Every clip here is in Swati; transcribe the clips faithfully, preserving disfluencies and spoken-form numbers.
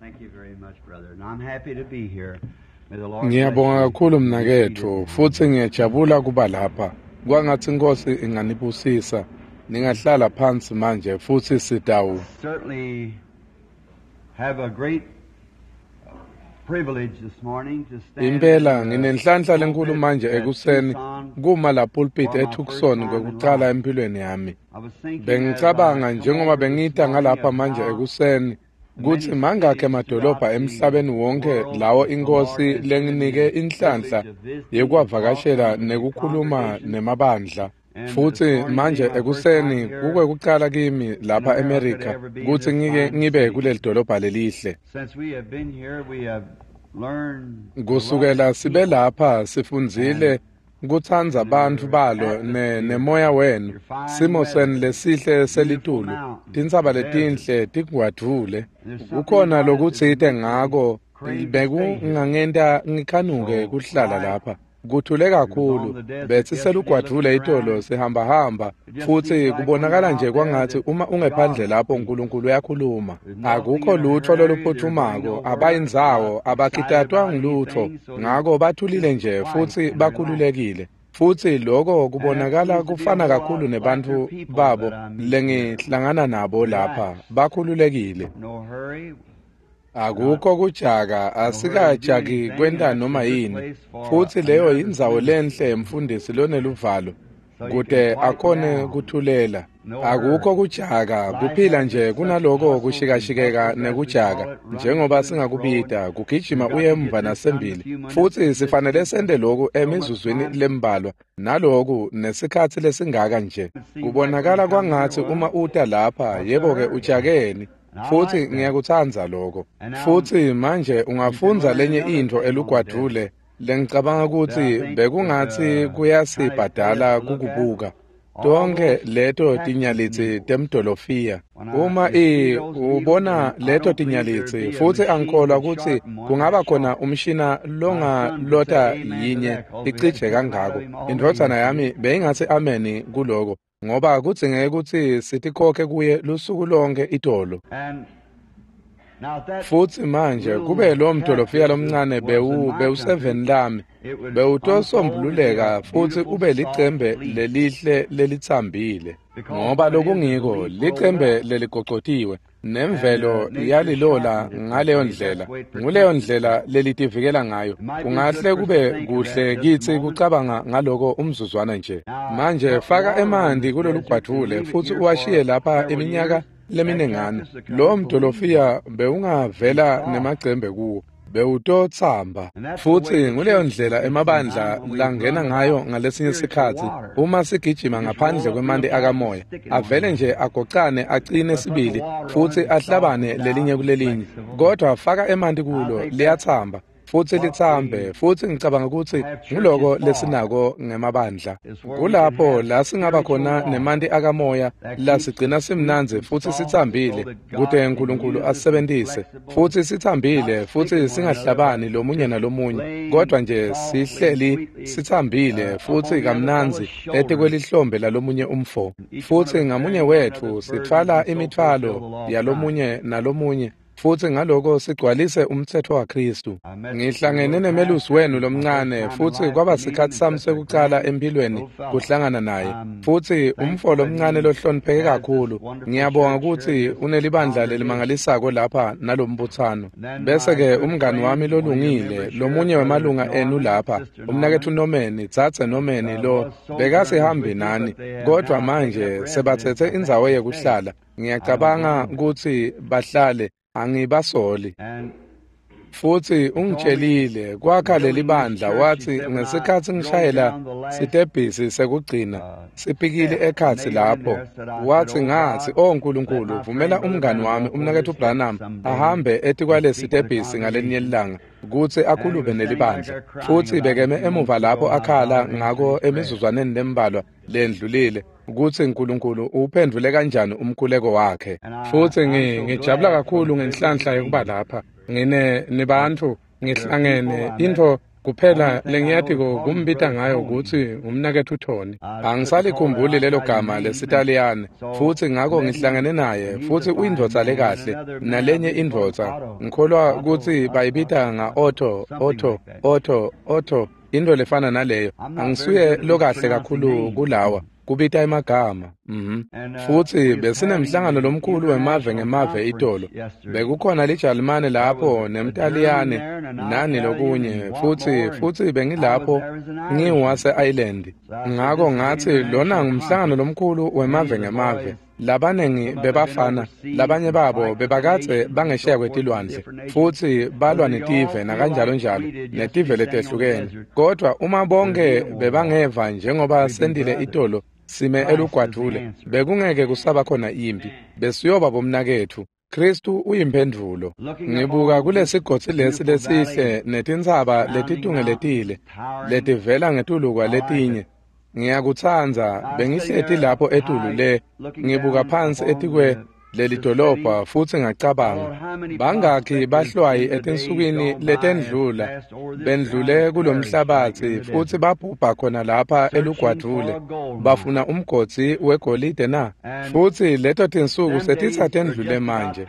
Thank you very much, brother. And I'm happy to be here. May the Lord Ngiyabonga bless you. kakhulu mnaketfu futsi ngiyajabula kuba lapha. Kwangatsi Inkosi inganibusisa. Ningahlala phansi manje futsi sitawu. Certainly have a great privilege this morning to stand Impela in the nginenhlanhla lenkulu pulpit manje at ekuseni Tucson kuma la pulpit for my eTucson first time in kwekucala life. empilweni yami. I was thinking as Bengicabanga I come njengoba over this bengita morning ngalapha of manje how ekuseni the kutsi many mangakhi cities emadolobha throughout the emhlabeni wonke world lawo that the Lord inkosi has given me lenginike the inhlanhla privilege of visiting and yekuwavakashela talking to the nekukhuluma congregations. nemabandla. And this Futsi morning being manje my first time ekuseni here kukwekucala kimi in lapha America to eMerica ever be in kutsi this ngike fine ngibe city. kuleli dolobha lelihle. Since we have been here, we have learned to love Kusukela the sibe people lapha sifundzile and kutsandza bantfu your balo ne atmosphere, nemoya wenu your fine simo weather, senu lesihle beautiful selitulu mountains, tintsaba deserts. letinhle tingwadvule And there's something kukhona about it that lokutsite makes me ngako crave to stay here. bekungangenta ngikhanuke So kuhlala quiet. lapha kuthule We was on kakhulu the desert betsi yesterday selugwadvule looking itolo around. sihambahamba It just futsi seems like when you're kubonakala nje out there kwangatsi that uma ungephandle God lapho speaks. uNkulunkulu uyakhuluma There's nothing akukho in a lutfo hurry. They're doing loluphuthumako no work. They're abayindzawo not excited abakitatwa about ngilutfo anything, so they're ngako bathulile just nje quiet futsi and relaxed. bakhululekile futsi loko And that kubonakala seems to be a kufana whole lot kakhulu like your nebantfu people babo that I meet here. lengihlangana nabo lapha Relaxed. bakhululekile No hurry. Not akukho kujaka no hurry to do asikajaki anything, and kwenta that's a noma good yini place for futsi a leyo nervous yindzawo minister. lenhle mfundisi loneluvalo So you can kute quieten akhone down. kuthulela No akukho hurry. kujaka Life kuphila has nje its such kunaloko hustles and kushikashikeka bustles, as we call nekujaka it, running njengoba to and fro, and singakubita kugijima we've got uye to get emva this done in a nasembili few minutes futsi and this sifanele takes sente loku so much emizuzwini time. lembalwa naloku nesikhatsi lesingaka nje It seems like when you kubonakala come here, kwangatsi uma well, uta lapha what's the yebo-ke hurry? ujakeni And I futsi like that. ngiyakutsandza loko And now futsi manje you can ungafundza learn lenye another intfo thing on the desert elugwadvule lengicabanga that I kutsi think would bekungatsi uh, kind of pay kuyasibhadala us to look at. kukubuka All tonkhe those leto cactus tinyalitsi needles. temdolofiya When I uma you see i those needles, ubona and I leto don't believe there'd tinyalitsi be a futsi machine angikholwa could kutsi sharpen one kungaba that khona sharp. umshina My son would say longalota amen to yinye that because we had to icije pick 'em out kangako of him all day indvodzana yesterday. yami beyingatsi ameni kuloko ngoba kudzingeke kutsi sitikhokhe kuye lusuku lonke itolo And now if that futsi manje little kube lo mdolofiya cactus lomncane was in bewu my country, bewuseveni lami it would unfold and be a bewutosombululeka futsi beautiful ube soft licembe leaf. lelihle lelitsambile Because ngoba what it is is a lokungiko leaf rolled licembe up. leligocotiwe And nemvelo uh, nature yalilola sharpened it that ngaleyo way. That's ndlela the way it nguleyo protects ndlela itself. lelitivikela ngayo It might be good kungahle for us to kube think of that kuhle just a kitsi moment. kucabanga ngaloko umzuzwana nje Now, manje put faka water on emanti this desert and kulolugwadvule leave it futsi here for uwashiye lapha several iminyaka years. That leminengana cactus will come lo with the leaves on mdolofiya it. Be bewungavela soft. nemacembe kuwo bewutotsamba And that's the way futsi the nguleyo church ndlela gets emabandla sometimes when we langena run ngayo without ngalesinye spiritual sikhatsi water. uma sigijima We just ngaphandle roll up real kwemanti tight and akamoya stick in one avele another. nje agocane acine But put the sibili water on futsi it, it ahlabane softens out lelinye and kulelinye flexible. kodwa faka emanti I kulo think that's liyatsamba futsi what litsambe we futsi ngicabanga kutsi have churches nguloko for, lesinako ngemabandla is where we can kulapho have la singaba spiritual khona water nemanti akamoya that keeps lasigcina sweet simnandzi and futsi soft so sitsambile that kute God can uNkulunkulu use us and asisebentise flexible, futsi not sitsambile futsi sticking one another, but singahlabani lomunye just nalomunye laying kodwa nje softly and sihleli sweetly sitsambile uh, up futsi on the other kamnandzi fellow's shoulders, etikwelihlombe lalomunye umfo and each one of futsi us ngamunye bearing one wetfu another's burdens sitfwala and so fulfill imitfwalo the law of Christ. yalomunye nalomunye futsi ngaloko sigcwalise umtsetfo waKhristu I met your ngihlangene little nemelusi pastor, wenu my first lomncane time in futsi life to kwaba meet him, sikhatsi and sami such a sekucala grand empilweni little fellow. kuhlangana naye I'm futsi umfo thankful that lomncane he lohlonipheke has this kakhulu wonderful ngiyabonga church here kutsi in this unelibandla congregation. lelimangalisako lapha nalombutsano And then bese my ke good umngani wami friend, one of your lolungile members here, lomunye Brother wemalunga enu Norman, lapha Sister umnaketfu Norman, Norman dzadze Norman uh, lo was sojourners bekasihambi with you, nani but they have kodwa now taken up manje residence, sebatsetse I think, indzawo to stay. yekuhlala I don't ngiyacabanga blame them. kutsi bahlale angibasoli And futsi he told me ungitshelile kwakha leli building this bandla church, he wathi said, when I ngesikhatsi drove ngishayela down the last sitebhisi sekugcina uh, sipikili step, ekhatsi nailed in lapho there, said, I said, wathi Oh ngathi God, o let Nkulunkulu my vumela friend Brother umngani Branham wami walk over umnaketfu this step Branham someday ahambe and etikwale speak to the sitebhisi ngalelinye congregation. ilanga kutsi And he akhulume was standing back nelibandla there crying futsi about a bekeme few emuva moments lapho ago how akhala God had answered ngako his prayer. emizuzwaneni lembalwa lendlulile kutsi uNkulunkulu uphendvule kanjani umkhuleko wakhe And I, futsi I'm ngi- so ngijabula glad for kakhulu the privilege ngenhlanhla of yokuba being here. lapha ngine nibantfu There are people ngihlangene I met intfo Kuphela lengiyatiko kumbita ngayo kutsi ngumnaketfu Tony. Angisalikhumbuli lelo gama lesiTaliyane, futsi ngako ngihlangene naye, futsi uyindvodza lekahle, nalenye indvodza, ngikholwa kutsi bayibita nga-Otto, Otto, Otto, Otto, into lefana naleyo. Angisuye lokahle kakhulu kulawa kubita emagama. Mhm. Futsi besinemhlangano lomkhulu wemave ngemave itolo. Bekukhona liJalimane lapho nemTaliyane nani lokunye, futsi futsi bengilapho ngiwase-Ireland. Ngako ngatsi lona ngumhlangano lomkhulu wemave ngemave. Labanengi bebafana, labanye babo bebakadze bangesheya kwetilwandle, futsi balwa netive nakanjalo njalo, netive letehlukene. Kodwa uma bonke bebangeva njengoba sentile itolo, sime elugwadvule, bekungeke kusaba khona impi, besiyoba bomnaketfu. Kristu uyimphendvulo. Ngibuka kulesigodzi lesi lesihle netintsaba letitungeletile letivela ngetulu kwaletinye. Ngiyakutsandza, bengihleti lapho etulu le, ngibuka phansi etikwe leli dolobha, futsi ngacabanga, bangakhi bahlwayi etinsukwini letendlula bendlule kulomhlabatsi futsi babhubha khona lapha elugwadvule, bafuna umgodzi wegolide na? Futsi leto tinsuku setitsatendlule manje,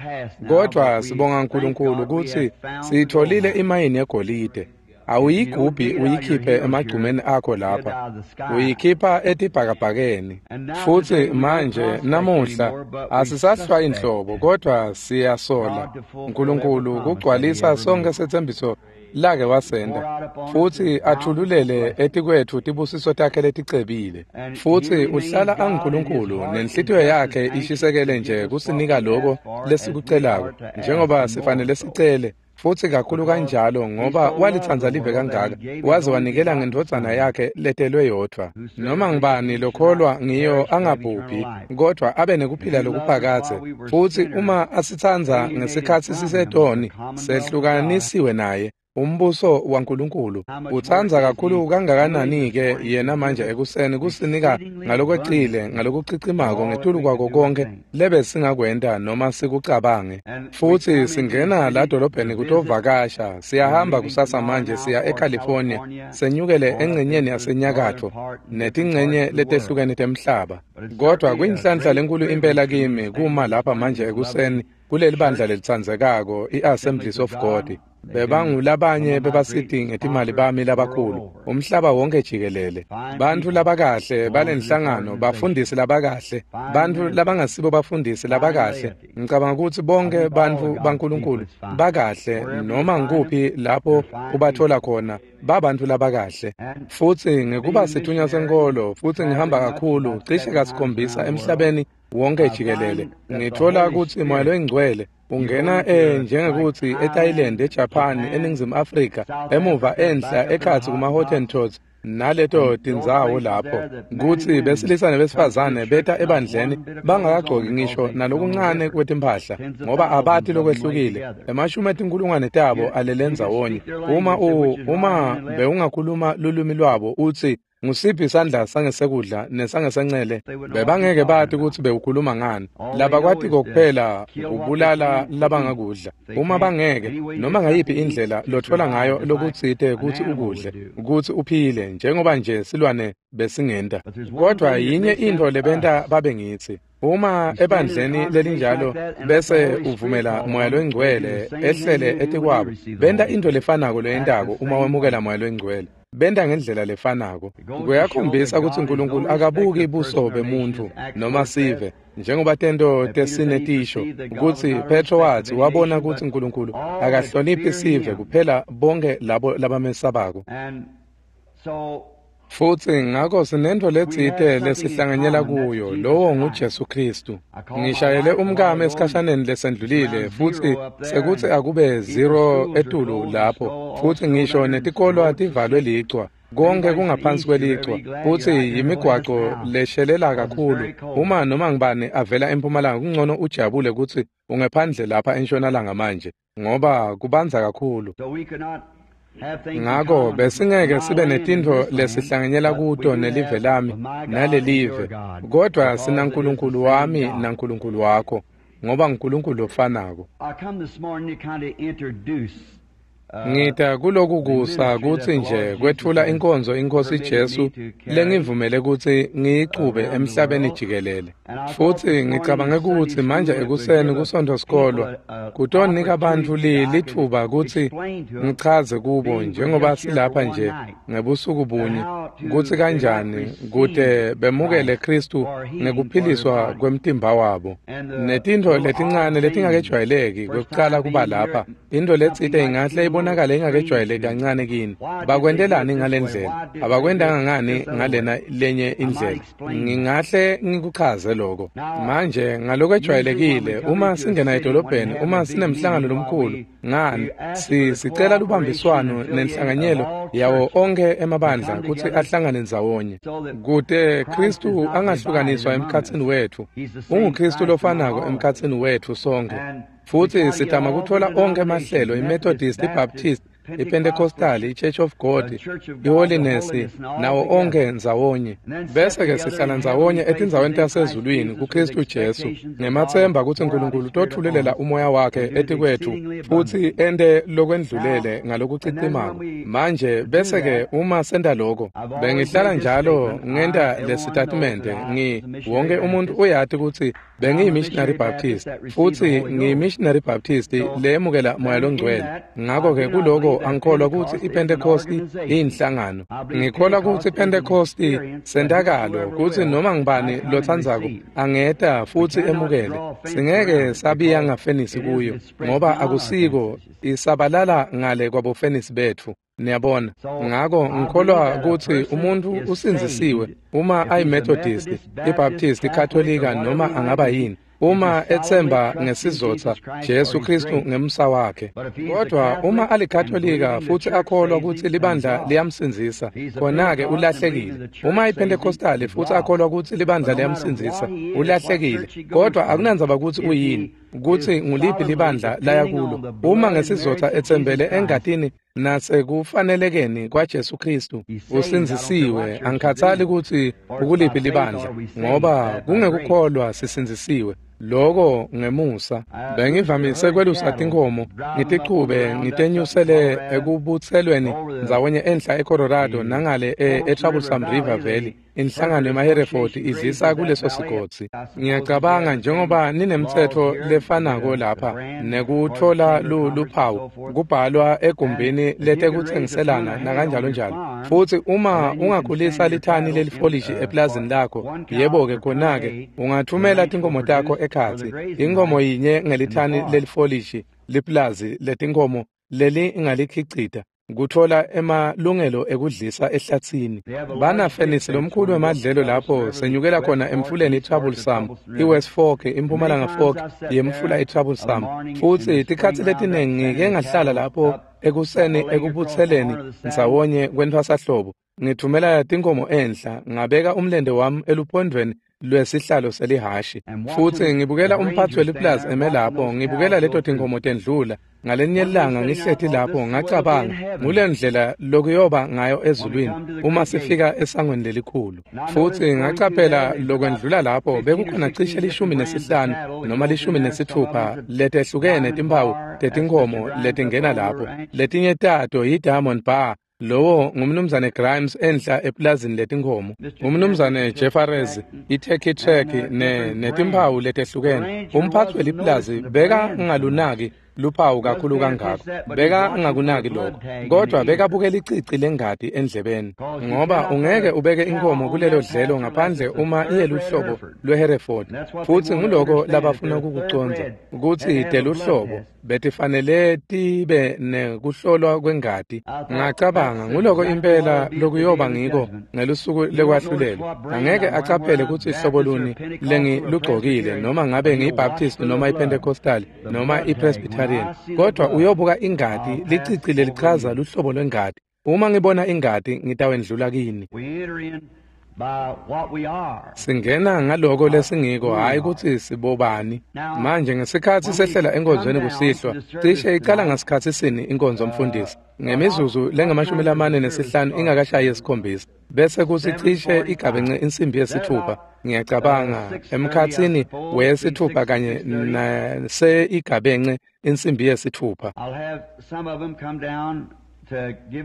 kodvwa sibonga uNkulunkulu kutsi siyitfolile imayini yegolide. Awuyigubhi uyikhiphe emagcumeni akho lapha, uyikhipha etibhakabhakeni. Futsi manje namuhla asisahlwa inhlobo, kodwa siyasola uNkulunkulu kugcwalisa sonke setsembiso lake wasenda, futsi athululele etikwetfu tibusiso takhe leticebile. Futsi uhlala anguNkulunkulu, nenhlitiyo yakhe ishisekele nje kusinika loko lesikucelako, njengoba sifanele sicele. Futsi kakhulu kanjalo, ngoba walitsandza live kangaka, waze wanikela ngendvodzana yakhe letelwe yodvwa. Noma ngubani lokholwa ngiyo angabhubhi, kodvwa abe nekuphila lokuphakadze. Futsi uma asitsandza ngesikhatsi sisetoni, sehlukanisiwe naye, umbuso waNkulunkulu. Utsandza kakhulu kangakanani-ke yena manje ekuseni kusinika ngalokwecile, ngalokucicimako ngetulu kwako konke lebesingakwenta noma sikucabange. Futsi singena la dolobheni kutovakasha, siyahamba kusasa manje siya eCalifornia, senyukele engcenyeni yasenyakatfo netingcenye letehlukene temhlaba. Kodwa kuyinhlanhla lenkulu impela kimi kuma lapha manje ekuseni kuleli bandla lelitsandzekako i-Assemblies of God. Bebangulabanye bebasiti ngetimali bami labakhulu umhlaba wonke jikelele, bantfu labakahle balenhlangano, bafundisi labakahle, bantfu labangasibo bafundisi labakahle. Ngicabanga kutsi bonke bantfu baNkulunkulu bakahle, noma ngikuphi lapho ubathola khona babantfu labakahle. Futsi ngekuba sithunywa senkolo, futsi ngihamba kakhulu cishe kasikhombisa emhlabeni wonke jikelele, ngitfola kutsi Moya loyiNgcwele ungena e njengekuthi eThailand, eJapan, eNingizimu Afrika, emuva enhla ekhatsi kuma-Hottentots naleto tindzawo lapho kutsi besilisa nebesifazane beta ebandleni bangakagcoki ngisho nalokuncane kwetimphahla, ngoba abati lokwehlukile. Emashumi etinkulungwane tabo alele ndzawonye. Uma u uma bewungakhuluma lulwimi lwabo utsi ngusiphi isandla sangesekudla nesangesencele, bebangeke bati kutsi bewukhuluma ngani. Labakwatiko kuphela kubulala labangakudla. Uma bangeke, noma ngayiphi indlela lotfola ngayo lokutsite kutsi ukudle, kutsi uphile, njengoba nje silwane besingenta. Kodwa yinye intfo lebenta babe ngitsi, uma ebandleni lelinjalo bese uvumela Moya loyiNgcwele ehlele etikwabo, benta intfo lefanako loyentako uma wemukela Moya loyiNgcwele. Benta ngendlela lefanako. Kuyakhombisa kutsi uNkulunkulu akabuki buso bemuntfu noma sive, njengoba tento tesine tisho kutsi Petro watsi wabona kutsi uNkulunkulu akahloniphi sive kuphela bonke labo labamesabako. Futsi ngako sinentfo letsite lesihlanganyela kuyo, lowo nguJesu Kristu. Ngishayele umkami esikhashaneni lesendlulile, futsi sekutsi akube zero etulu lapho, futsi ngisho netikolwa tivalwe licwa, konke kungaphansi kwelicwa, futsi yimigwaco leshelela kakhulu. Uma noma ngibani avela empumalanga, kungcono ujabule kutsi ungephandle lapha entshonalanga manje, ngoba kubandza kakhulu. Ngako besingeke sibe netintfo lesihlanganyela kuto nelive lami nalelive, kodwa sinaNkulunkulu wami naNkulunkulu wakho, ngoba nguNkulunkulu lofanako. Ngita kuloku kusa kutsi nje kwetfula inkonzo iNkhosi Jesu lengivumele kutsi ngiyichube emhlabeni jikelele. Futsi ngicabange kutsi manje ekuseni kuSontfo sikolwa kutonika bantfu litfuba kutsi ngichaze kubo njengoba silapha nje ngebusuku bunye kutsi kanjani kute bemukele Khristu ngekuphiliswa kwemtimba wabo. Netintfo letincane letingakejwayeleki kwekucala kuba lapha, intfo letsite ingahle ibonakale ingakejwayeleki kancane kini. Bakwentelani ngale ndlela? Abakwentanga ngani ngalena lenye indlela? Ngingahle ngikuchaze lokho. Manje ngalokwejwayelekile uma singena edolobheni, uma sinemhlangano lomkhulu, ngani sicela lubambiswano nenhlanganyelo yawo onke emabandla kutsi ahlangane ndzawonye kute Khristu angahlukaniswa emkhatsini wetfu. UnguKhristu lofanako emkhatsini wetfu sonkhe. Futsi sitama kutfola onkhe emahlelo, iMethodist, iBaptist, iPentecostal, iChurch of God, iHoliness, nawo onke ndzawonye. Bese-ke sihlala ndzawonye etindzaweni tasezulwini kuKhristu Jesu, ngematsemba kutsi Nkulunkulu utotfululela umoya wakhe etikwetfu futsi ente lokwendlulele ngalokucicimako. Manje bese-ke uma senta loko, bengihlala njalo ngenta lesitatimende, ngi wonke umuntu uyati kutsi bengiyi-Missionary Baptist, futsi ngiyi-Missionary Baptist leyemukela Moya Longcwele. Ngako-ke kuloko angikholwa kutsi iPentecosti iyinhlangano. Ngikholwa kutsi iPentecosti sentakalo kutsi noma ngubani lotsandzako angeta futsi emukele. Singeke sabiya ngafenisi kuyo ngoba akusiko, isabalala ngale kwabofenisi betfu. Niyabona? Ngako ngikholwa kutsi umuntfu usindzisiwe uma ayiMethodist, iBaptist, iKatolika noma angaba yini, uma etsemba ngesizotsa Jesu Khristu ngemsa wakhe. Kodwa uma alikatolika futsi akholwa kutsi libandla liyamsindzisa, khona-ke ulahlekile. Uma iPentecostali futsi akholwa kutsi libandla liyamsindzisa, ulahlekile. Kodwa akunandzaba kutsi uyini, kutsi nguliphi libandla laya kulo. Uma ngesizotsa etsembele engatini nasekufanelekeni kwaJesu Khristu, usindzisiwe. Angikhatsali kutsi ukuliphi libandla, ngoba kungekukholwa sisindzisiwe. Loko ngemusa. Bengivamise kwelusa tinkhomo, ngitichube ngitenyusele ekubutselweni ndzawonye enhla eColorado nangale e-Troublesome River Valley. Inhlangano yemaHereford idlisa kuleso sigodzi. Ngiyacabanga njengoba ninemtsetfo lefanako lapha nekutfola luphawu kubhalwa egumbini letekutsengiselana nakanjalo njalo. Futsi uma ungakhulisa lithani lelifolishi eplazini lakho, yebo-ke khona-ke ungathumela tinkhomo takho ekhatsi. Inkhomo yinye ngelithani lelifolishi liplazi letinkhomo lelingalikhicita kutfola emalungelo ekudlisa ehlatsini. Banafenisi lomkhulu wemadlelo lapho senyukela khona emfuleni iTroublesome, iWest Fork, iMpumalanga Fork yemfula iTroublesome. Futsi tikhatsi letiningi ngike ngahlala lapho ekuseni ekubutseleni ndzawonye kwentfwasahlobo, ngithumela tinkhomo enhla, ngabeka umlente wami eluphondvweni lwesihlalo selihhashi. Futsi ngibukela umphatsi weliplazi eme lapho, ngibukela leto tinkhomo tendlula. Ngalenye ilanga ngihleti lapho ngacabanga ngule ndlela lokuyoba ngayo ezulwini uma sifika esangweni lelikhulu. Futsi ngacaphela lokwendlula lapho bekukhona cishe lishumi nesihlanu noma lishumi nesitfupha letehlukene timphawu tetinkhomo letingena lapho. Letinye tato yi-Diamond Bar, lowo ngumnumzane Grimes enhla eplazini letinkhomo, umnumzane Jefferies, iTurkey Track ne netimphawu letehlukene. Umphatsi weliplazi beka ngalunaki luphawu kakhulu kangako, beka ngakunaki lokho, kodwa bekabukela icici lengati endlebeni, ngoba ungeke ubeke inkhomo kulelo dlelo ngaphandle uma iyeluhlobo lweHereford. Futsi nguloko labafuna kukucondza, kutsi teluhlobo betifanele tibe nekuhlolwa kwengati. Ngacabanga nguloko impela lokuyoba ngiko ngelusuku lekwahlulelwa. Angeke acaphele kutsi hlobo luni lengilugcokile, noma ngabe ngiyiBaptist noma iPentecostal noma iPresbyterian, kodwa uyobuka ingati, licici lelichaza luhlobo lwengati. Uma ngibona ingati ngitawendlula kini. Singena ngaloko lesingiko, hhayi kutsi sibobani. Manje ngesikhatsi sehlela enkonzweni kusihlwa, cishe icala ngasikhatsi sini inkonzo mfundisi? Ngemizuzu lengamashumi lamane nesihlanu ingakashayi yesikhombisa, bese kutsi cishe igabence insimbi yesithupha, ngiyacabanga emkhatsini wesithupha kanye nase igabence insimbi yesithupha.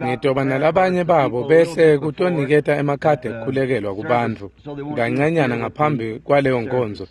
Ngitoba nalabanye babo behle kutoniketa emakhadi ekukhulekelwa kubantfu kancanyana ngaphambi kwaleyo nkonzo,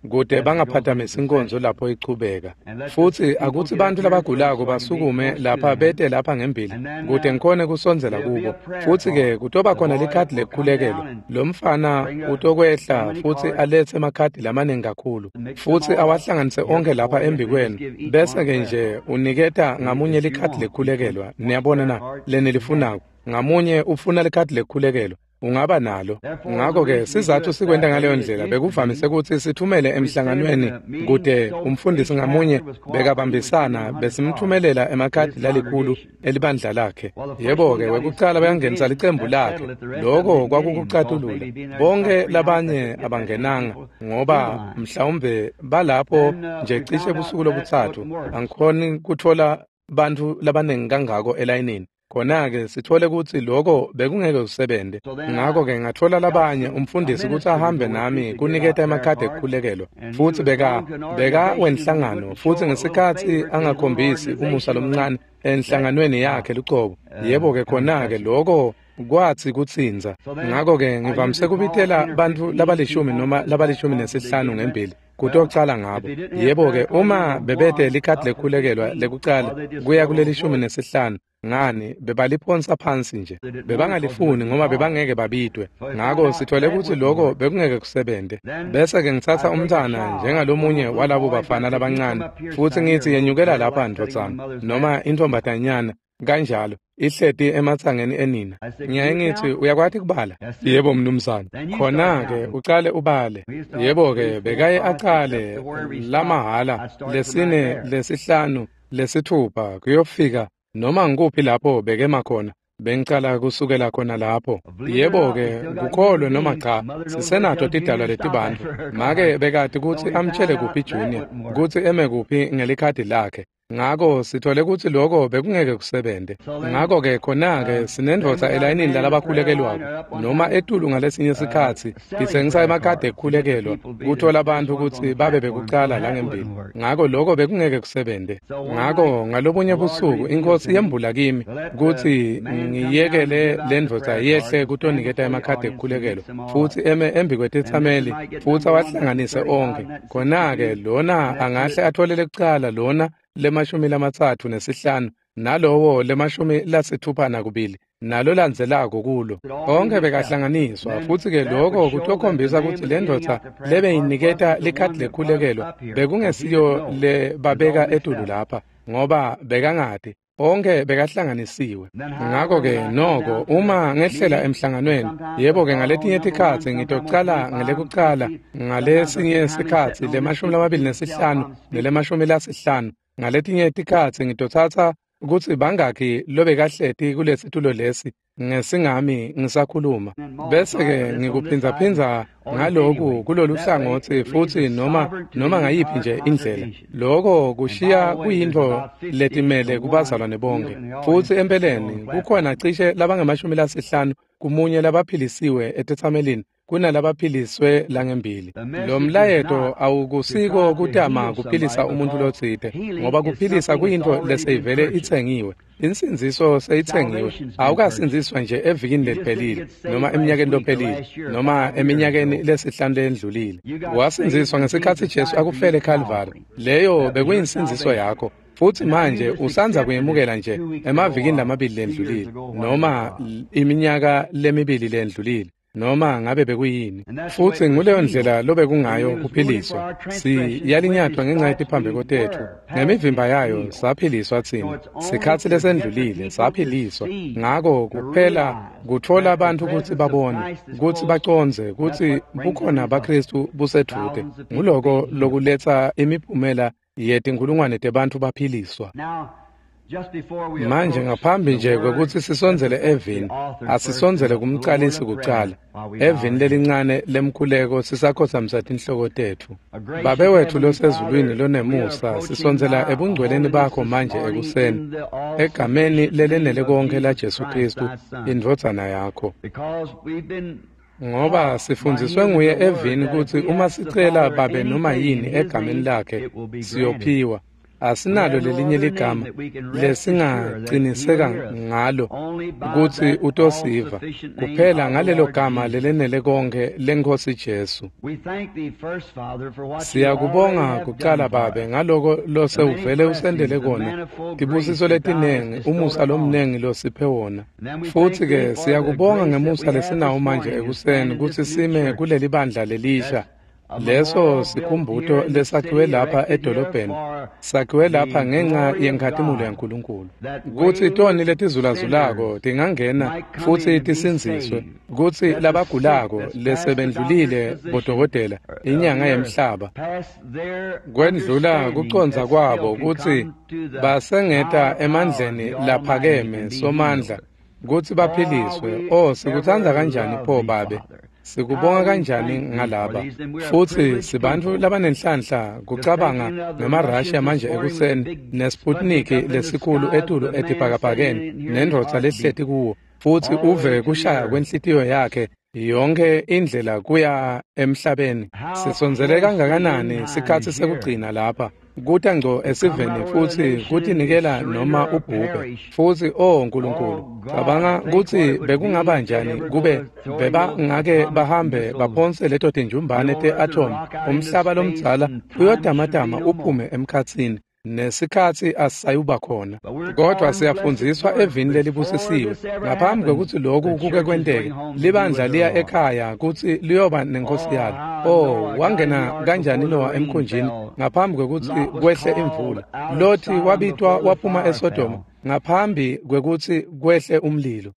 kute bangaphathamisi inkonzo lapho ichubeka. Futsi akutsi bantfu labagulako basukume lapha bete lapha ngembili kute ngikhone kusondzela kubo. Futsi-ke kutoba khona likhadi lekukhulekelwa. Lo mfana utokwehla futsi alethe emakhadi lamaningi kakhulu futsi awahlanganise onke lapha embikwenu, bese-ke nje uniketa ngamunye likhadi lekukhulekelwa. Niyabona na lenilifunako? Ngamunye ufuna likhadi lekukhulekelwa, ungaba nalo. Ngakho-ke sizathu sikwenta ngaleyo ndlela bekuvamise kutsi sithumele emhlanganweni kute umfundisi ngamunye bekabambisana besimthumelela emakhadi lalikhulu elibandla lakhe. Yebo-ke wekucala bayangenisa licembu lakhe, loko kwakukucatulula. Bonke labanye abangenanga ngoba mhlawumbe balapho nje cishe busuku lobutsatfu. Angikhoni kutfola bantfu labaningi kangako elayinini. Khona-ke sithole kutsi loko bekungeke kusebente. Ngakho-ke ngatfola labanye umfundisi kutsi ahambe nami kuniketa emakhadi ekukhulekelwa, futsi beka beka wenhlangano, futsi ngesikhatsi angakhombisi umusa lomncane enhlanganweni yakhe lucobo. Yebo-ke khona-ke loko kwatsi kutsintsa. Ngakho-ke ngivamise kubitela bantfu labalishumi noma labalishumi nesihlanu ngembili kutocala ngabo. Yebo-ke uma bebete likhadi lekukhulekelwa lekucala kuya kulelishumi nesihlanu, ngani bebaliphonsa phansi nje, bebangalifuni ngoba bebangeke babidwe. Ngakho sithole kutsi loko bekungeke kusebente. Bese-ke ngitsatsa umntfwana njengalomunye walabo bafana labancane futsi ngitsi yenyukela lapha ndvodzana noma intfombatanyana kanjalo, ihleti ematsangeni enina. Ngiyaye ngitsi uyakwati kubala? Yebo mnumzane. Khona-ke ucale ubale. Yebo-ke bekaye acale lamahhala lesine lesihlanu lesithupha kuyofika noma ngikuphi lapho bekema khona, bengicala kusukela khona lapho. Yebo-ke kukholwe noma cha, sisenato tidalwa letibantfu. Make bekati kutsi amtshele kuphi Junior kutsi eme kuphi ngelikhadi lakhe. Ngakho sithole kutsi loko bekungeke kusebente. Ngakho-ke khona-ke sinendvodza elayinini lalabakhulekelwako noma etulu ngalesinye sikhatsi itsengisa emakhadi ekukhulekelwa kutfola bantfu kutsi babe bekucala langembili. Ngakho loko bekungeke kusebente. Ngakho ngalobunye busuku inkosi yembula kimi kutsi ngiyekele lendvodza yehle kutoniketa emakhadi ekukhulekelwa futsi eme embi kwetetsameli futsi awahlanganise onkhe. Khona-ke lona angahle atfole lekucala, lona lemashumi lamatsatfu nesihlanu, nalowo lemashumi lasithupha nakubili, nalo landzelako kulo. Onke bekahlanganiswa, futsi-ke loko kutokhombisa kutsi lendvodza lebeyiniketa likhadi lekukhulekelwa bekungesiyo lebabeka etulu lapha, ngoba bekangati. Onke bekahlanganisiwe. Ngakho-ke noko uma ngehlela emhlanganweni, yebo-ke ngaletinye tikhatsi ngitocala ngelekucala, ngalesinye sikhatsi lemashumi lamabili nesihlanu nelemashumi lasihlanu, ngaletinye tikhatsi ngitotsatsa kutsi bangakhi lobekahleti kulesitulo lesi ngesingami ngisakhuluma, bese-ke ngikuphindzaphindza ngaloku kulolu hlangotsi futsi noma noma ngayiphi nje indlela. Loko kushiya kuyintfo letimele kubazalwane bonke. Futsi empeleni kukhona cishe labangamashumi lasihlanu kumunye labaphilisiwe etetsamelini kunalabaphiliswe langembili. Lo mlayeto awukusiko kutama kuphilisa umuntfu lotsite, ngoba kuphilisa kuyintfo leseyivele itsengiwe. Insindziso seyitsengiwe. Awukasindziswa nje evikini leliphelile noma eminyakeni lophelile noma eminyakeni lesihlanu leyendlulile. Wasindziswa ngesikhatsi Jesu akufele eKhalvari. Leyo bekuyinsindziso yakho. Futsi manje usandza kuyemukela nje emavikini lamabili lendlulile noma iminyaka lemibili lendlulile noma ngabe bekuyini. Futsi nguleyo ndlela lobekungayo kuphiliswa. Siyalinyatwa ngenxa yetiphambeko tetfu, ngemivimba yayo saphiliswa tsine. Sikhatsi lesendlulile saphiliswa. Ngako kuphela kutfola bantfu kutsi babone, kutsi bacondze kutsi bukhona baKhristu busedvute. Nguloko lokuletsa imiphumela yetinkhulungwane tebantfu baphiliswa. Manje ngaphambi nje kwekutsi sisondzele evini, asisondzele kumcalisi kucala, evini lelincane lemkhuleko sisakhotsamisa tinhloko tetfu. Babe wetfu losezulwini lonemusa, sisondzela ebungcweleni bakho manje ekuseni, egameni lelenele konkhe la Jesu Khristu, indvodzana yakho. Ngoba sifundziswe nguye evini kutsi uma sicela babe noma yini egameni lakhe, siyophiwa. Asinalo lelinye ligama lesingaqiniseka ngalo kutsi utosiva kuphela ngalelo gama lelenele konkhe leNkhosi Jesu. Siyakubonga kucala babe ngaloko losewuvele usendele kona, tibusiso letinengi, umusa lomnengi losiphe wona. Futsi ke siyakubonga ngemusa lesinawo manje ekuseni kutsi sime kuleli bandla lelisha. Leso sikhumbuto lesakhiwe lapha edolobheni, sakhiwe lapha ngenxa yenkhatimulo yaNkulunkulu, kutsi toni letizulazulako tingangena futsi tisindziswe, kutsi labagulako lesebendlulile bodokotela inyanga yemhlaba kwendlula kucondza kwabo kutsi basengeta emandleni laphakeme somandla kutsi baphiliswe. Oh, sikutsandza kanjani pho babe, sikubonga kanjani ngalaba. Futsi sibantfu labanenhlanhla kucabanga ngemaRussia manje ekuseni neSputnik lesikhulu etulu etibhakabhakeni nendvodza lehleti kuwo, futsi uve kushaya kwenhlitiyo yakhe yonke indlela kuya emhlabeni. Sisondzele kangakanani sikhatsi sekugcina lapha kuta ngco esiveni futsi kutinikela noma ubhubhe. Futsi oh Nkulunkulu, cabanga kutsi bekungaba njani kube bebangake bahambe baphonse leto tinjumbane te-atom, umhlaba lomdzala uyotamatama uphume emkhatsini, nesikhatsi asisayuba khona. Kodwa siyafundziswa evini lelibusisiwe ngaphambi kwekutsi loku kuke kwenteke, libandla liya ekhaya kutsi liyoba nenkosi yalo. Oh, wangena kanjani Noah emkhunjini ngaphambi kwekutsi kwehle imvula? Loti wabitwa waphuma eSodoma ngaphambi kwekutsi kwehle umlilo.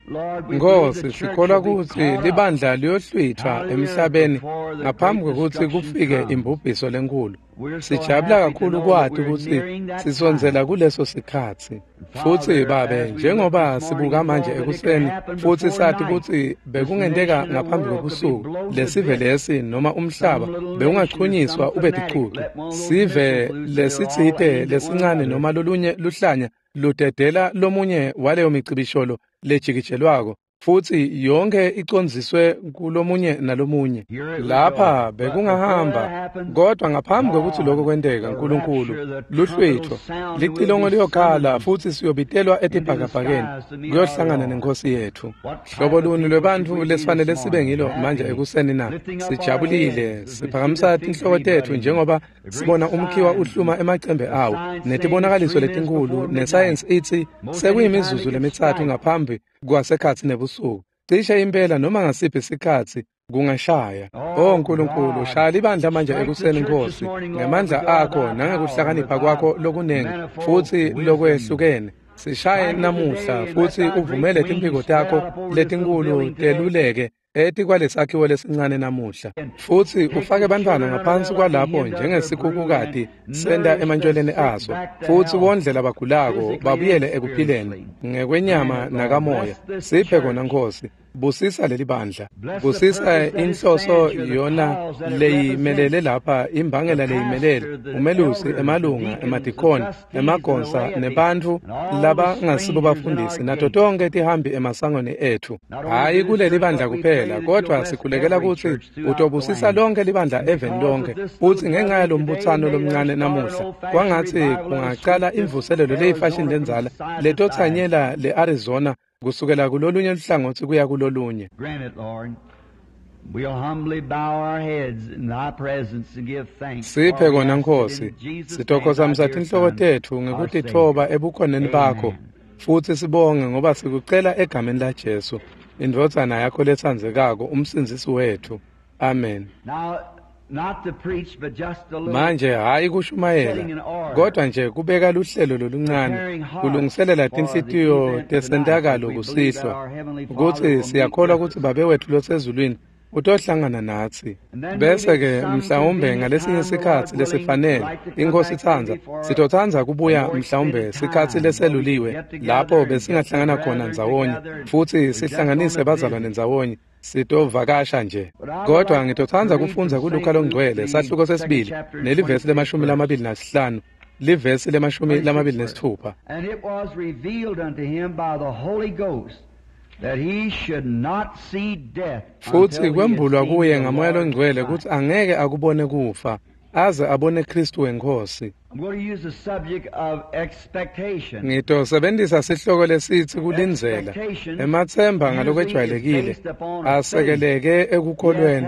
Nkosi, sikholwa kutsi libandla liyohlwithwa emhlabeni ngaphambi kwekutsi kufike imbubhiso lenkulu. Sijabula kakhulu kwati kutsi sisondzela kuleso sikhatsi. Futsi babe, njengoba sibuka manje ekuseni futsi sathi kutsi bekungenteka ngaphambi kwebusuku lesive lesi noma umhlaba bewungachunyiswa ube ticucu, sive lesitsite lesincane noma lolunye luhlanya ludedela lomunye waleyo micibisholo lejikijelwako, futsi yonke icondziswe kulomunye nalomunye. Lapha bekungahamba, kodwa ngaphambi kwekutsi lokho kwenteka, Nkulunkulu, luhlwitfo licilongo liyokhala futsi siyobitelwa etibhakabhakeni kuyohlangana nenkosi yetfu. Hlobo luni lwebantfu lesifanele sibe ngilo manje ekuseni na? Sijabulile, siphakamisa tinhloko tetfu njengoba sibona umkhiwa uhluma emacembe awo netibonakaliso letinkhulu, nesayensi itsi sekuyimizuzu lemitsatfu ngaphambi kwasekhatsi nebusuku. Cishe impela noma ngasiphi sikhatsi kungashaya. Oh Nkulunkulu, shaya libandla manje ekuseni Nkosi, ngemandla akho nangekuhlakanipha kwakho lokunengi futsi lokwehlukene. Sishaye namuhla futsi uvumele timphiko takho letinkulu teluleke etikwalesakhiwo lesincane namuhla, futsi ufake bantfwana ngaphansi kwalapho njengesikhukhukati senta emantjweleni aso, futsi wondle labagulako babuyele ekuphileni ngekwenyama nakamoya. Siphe kona Nkosi. Busisa leli bandla, busisa inhloso yona leyimelele lapha, imbangela leyimelele umelusi, emalunga, emadikoni, emagonsa nebantfu labangasibo bafundisi nato tonke tihambi emasangweni etfu. Hhayi kuleli bandla kuphela, kodwa sikhulekela kutsi utobusisa lonke libandla eveni lonke. Futsi ngenxa yalombutsano lomncane namuhla, kwangatsi kungacala imvuselelo leyifashini lendzala letotsanyela le-Arizona kusukela kulolunye luhlangotsi kuya kulolunye. Siphe kona Nkosi, sitokhosamisa tinhloko tetfu ngekutitfoba ebukhoneni bakho, futsi sibonge ngoba sikucela egameni la Jesu, indvodzana yakho letsandzekako, umsindzisi wetfu. Amen. Manje hhayi kushumayela, kodwa nje kubeka luhlelo loluncane, kulungiselela tinhlitiyo tesentakalo kusihlwa, kutsi siyakholwa kutsi Babe wetfu losezulwini Utohlangana natsi. Bese-ke mhlawumbe ngalesinye sikhatsi lesifanele, iNkhosi itsandza, sitotsandza kubuya mhlawumbe sikhatsi leseluliwe lapho besingahlangana khona ndzawonye futsi sihlanganise bazalwane ndzawonye, sitovakasha nje. Kodwa ngitotsandza kufundza kuLuka longcwele sahluko sesibili nelivesi lemashumi lamabili nasihlanu, livesi lemashumi lamabili nesitfupha. And it was revealed unto him by the Holy Ghost that he should not see death Futsi kwembulwa kuye ngaMoya longcwele kutsi angeke akubone kufa aze abone Kristu weNkhosi. I'm going to use the subject of expectation. Ngitosebentisa sihloko lesitsi kulindzela. Ematsemba ngalokwejwayelekile asekeleke ekukholweni.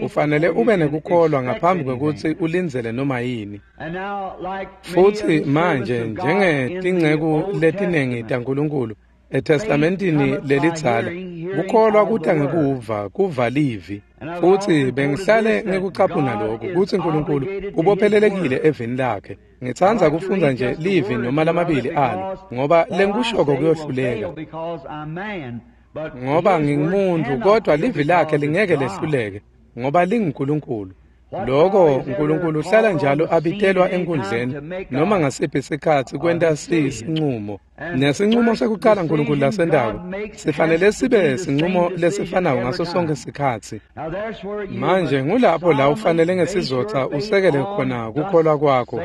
Ufanele ube nekukholwa ngaphambi kwekutsi ulindzele noma yini. And now, like Futsi manje njengetinceku letinengi taNkulunkulu eTestamentini lelidzala, kukholwa kuta ngekuva, kuva livi. Futsi bengihlale ngikucaphuna lokhu kutsi Nkulunkulu ubophelelekile evini lakhe. Ngitsandza kufundza nje livi noma lamabili alo, ngoba lengikushoko kuyohluleka. Ngoba ngingumuntu, kodwa livi lakhe lingeke lehluleke, ngoba linguNkulunkulu. Lokho uNkulunkulu uhlala njalo abitelwa enkundleni noma ngasiphi sikhatsi kwenta sinqumo. Nesinqumo sekuqala uNkulunkulu lasentako sifanele sibe sinqumo lesifanako ngaso sonke sikhatsi. Manje ngulapho la ufanele ngesizotha usekele khona kukholwa kwakho.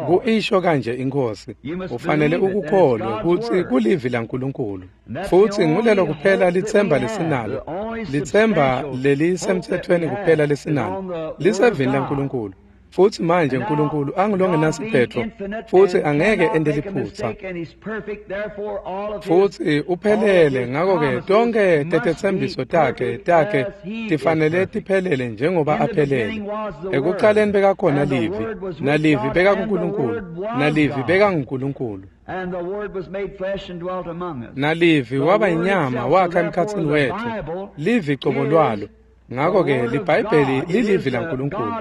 Kuisho kanje iNkhosi, ufanele ukukholwe kutsi kulivi laNkulunkulu. Futsi ngulelo kuphela litsemba lesinalo, litsemba lelisemthethweni kuphela lesinalo, lisevini laNkulunkulu. Futsi manje uNkulunkulu angulongenasiphetfo futsi angeke ente liphutsa. Futsi uphelele, ngako-ke tonkhe tetetsembiso takhe takhe tifanele tiphelele njengoba aphelele. Ekucaleni bekakhona livi, nalivi bekakuNkulunkulu, nalivi bekanguNkulunkulu. And the Word was made flesh and dwelt among us. Nalivi waba inyama wakha emkhatsini wetfu, livi cobo lwalo. Ngako-ke liBhayibheli lilivi laNkulunkulu.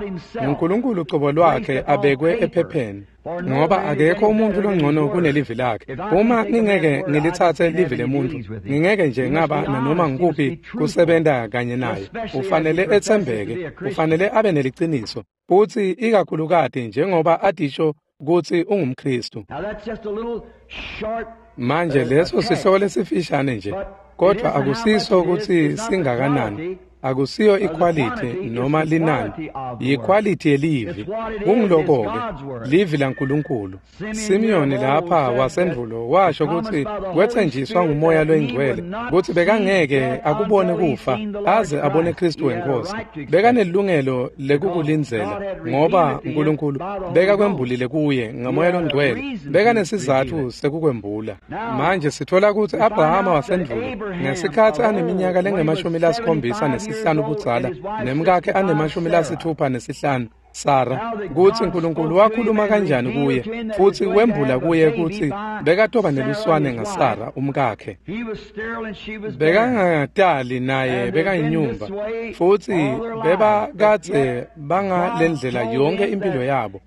NguNkulunkulu cobo lwakhe abekwe ephepheni, ngoba akekho umuntu longcono kunelivi lakhe. Uma ngingeke ngilitsatse livi lemuntu, ngingeke nje ngaba nanoma ngikuphi kusebenta kanye naye. Ufanele etsembeke, ufanele abe neliciniso, futsi ikakhulukati njengoba atisho kutsi ungumKhristu. Now that's just a little short Manje leso sihloko lesifishane nje, kodwa akusiso kutsi singakanani. Akusiyo ikhwalithi noma linani, yikhwalithi yelivi. Kungiloko-ke livi laNkulunkulu. Simiyoni lapha wasendvulo washo kutsi kwetsenjiswa nguMoya loyingcwele kutsi bekangeke akubone kufa aze abone Kristu weNkhosi. Bekanelungelo lekukulindzela ngoba uNkulunkulu bekakwembulile kuye ngaMoya loNgcwele. Bekanesizatfu sekukwembula. Manje sitfola kutsi Abrahama wasendvulo ngesikhatsi aneminyaka lengemashumi lasikhombisa nesihlanu budzala nemkakhe anemashumi lasitfupha nesihlanu Sara, kutsi uNkulunkulu wakhuluma kanjani kuye futsi wembula kuye kutsi bekatoba neluswane ngaSara umkakhe. He was sterile and she was barren. Bekangatali naye bekayinyumba, futsi bebakadze bangalendlela yonke impilo yabo.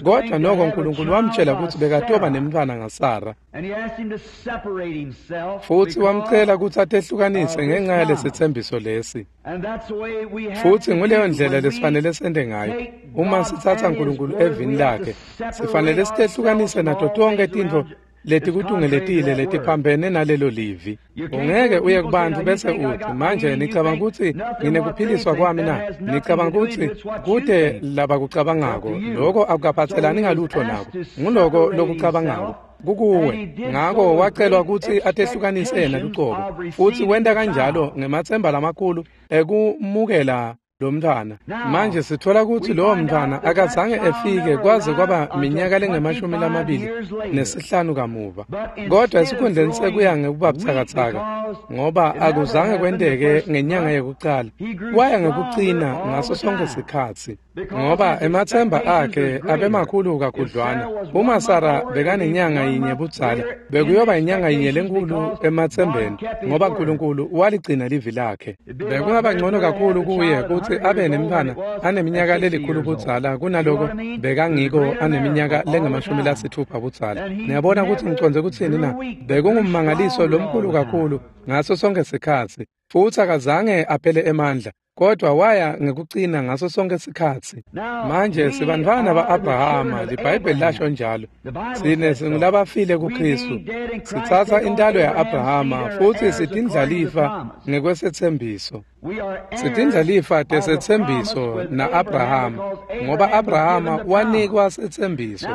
Kodwa noko uNkulunkulu wamtshela kutsi bekatoba nemntfwana ngaSara, And he asked him to separate himself. futsi because- wamcela kutsi atehlukanise ngenxa yalesitsembiso lesi. And that's the way we have Futsi to nguleyo do ndlela when we lesifanele sente ngayo. take Uma God sitsatsa and His uNkulunkulu word, evini we have to lakhe, separate sifanele sitehlukanise ourselves nato from all tonkhe things tintfo around letikutungeletile that's contrary to that letiphambene nalelo livi. Ungeke uye kubantfu bese utsi, manje nicabanga kutsi nginekuphiliswa kwami na? Nicabanga kutsi kute labakucabangako, loko akukaphatselani ngalutfo nako. Nguloko lokucabangako kukuwe. Ngako wacelwa kutsi atehlukanise yena lucobo, futsi wenta kanjalo ngematsemba lamakhulu ekumukela lo mntfwana. Manje sitfola kutsi lowo mntfwana akazange efike kwaze kwaba minyaka lengemashumi lamabili nesihlanu kamuva. Kodwa esikhundleni sekuya ngekuba butsakatsaka, ngoba akuzange kwenteke ngenyanga yekucala, waya ngekucina ngaso sonke sikhatsi, ngoba ematsemba akhe abemakhulu kakhudlwana. Uma Sara bekanenyanga yinye budzala, bekuyoba inyanga yinye lenkulu ematsembeni, ngoba uNkulunkulu waligcina livi lakhe. Bekungaba ngcono kakhulu kuye kutsi abe nemntfwana aneminyaka lelikhulu budzala kunaloko bekangiko aneminyaka lengemashumi lasitfupha budzala. Niyabona kutsi ngicondze kutsini na? Bekungummangaliso lomkhulu kakhulu ngaso sonke sikhatsi, futsi akazange aphele emandla. Kodwa waya ngekucina ngaso sonke sikhatsi. Manje sibantfwana ba-Abrahama, liBhayibheli lasho njalo. Sine singulabafile kuKristu. Sitsatsa intalo ya-Abrahama futsi sitindlalifa ngekwesethembiso. Sitindlalifa tesetsembiso na-Abrahama, ngoba Abrahama wanikwa setsembiso.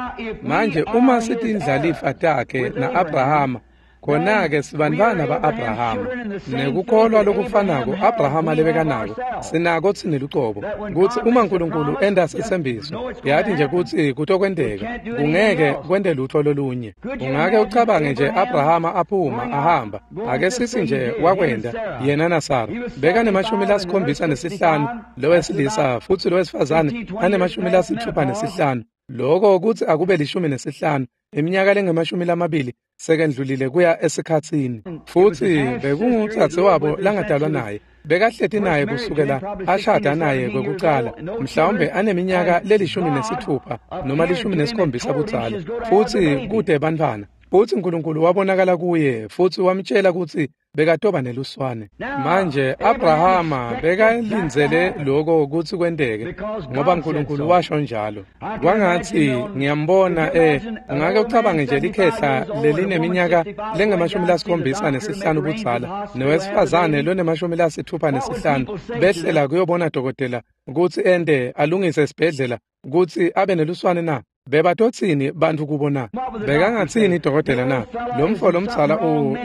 Manje uma sitindlalifa takhe na-Abrahama, khona-ke sibantfwana ba-Abrahama. Nekukholwa lokufanako Abrahama lebekanako, sinako tsine lucobo, kutsi uma Nkulunkulu enta setsembiso, yati nje kutsi kutokwenteka, kungeke kwente lutho lolunye. Ungake ucabange nje Abrahama aphuma ahamba, ake sitsi nje wakwenta yena naSara. Bekanemashumi lasikhombisa nesihlanu lowesilisa futsi lowesifazane anemashumi lasitfupha nesihlanu. Loko kutsi akube lishumi nesihlanu, iminyaka lengemashumi lamabili sekendlulile kuya esikhatsini. Futsi bekungudzadze wabo langadalwa naye, bekahleti naye kusukela ashada naye kwekucala, mhlawumbe aneminyaka lelishumi nesitfupha noma lishumi nesikhombisa budzala, futsi kute bantfwana. Futsi Nkulunkulu wabonakala kuye futsi wamtjela kutsi bekatoba neluswane. Manje Abrahama bekalindzele lokho kutsi kwenteke, ngoba Nkulunkulu washo njalo. Kwangatsi ngiyambona eh ungake ucabange nje likhehla lelineminyaka lengemashumi lasikhombisa nesihlanu budzala nowesifazane lonemashumi lasitfupha nesihlanu behlela kuyobona dokotela kutsi ente alungise esibhedlela kutsi abe neluswane na. Bebatotsini bantfu kubo na? Bekangatsini dokotela na? Lomfo lomdzala u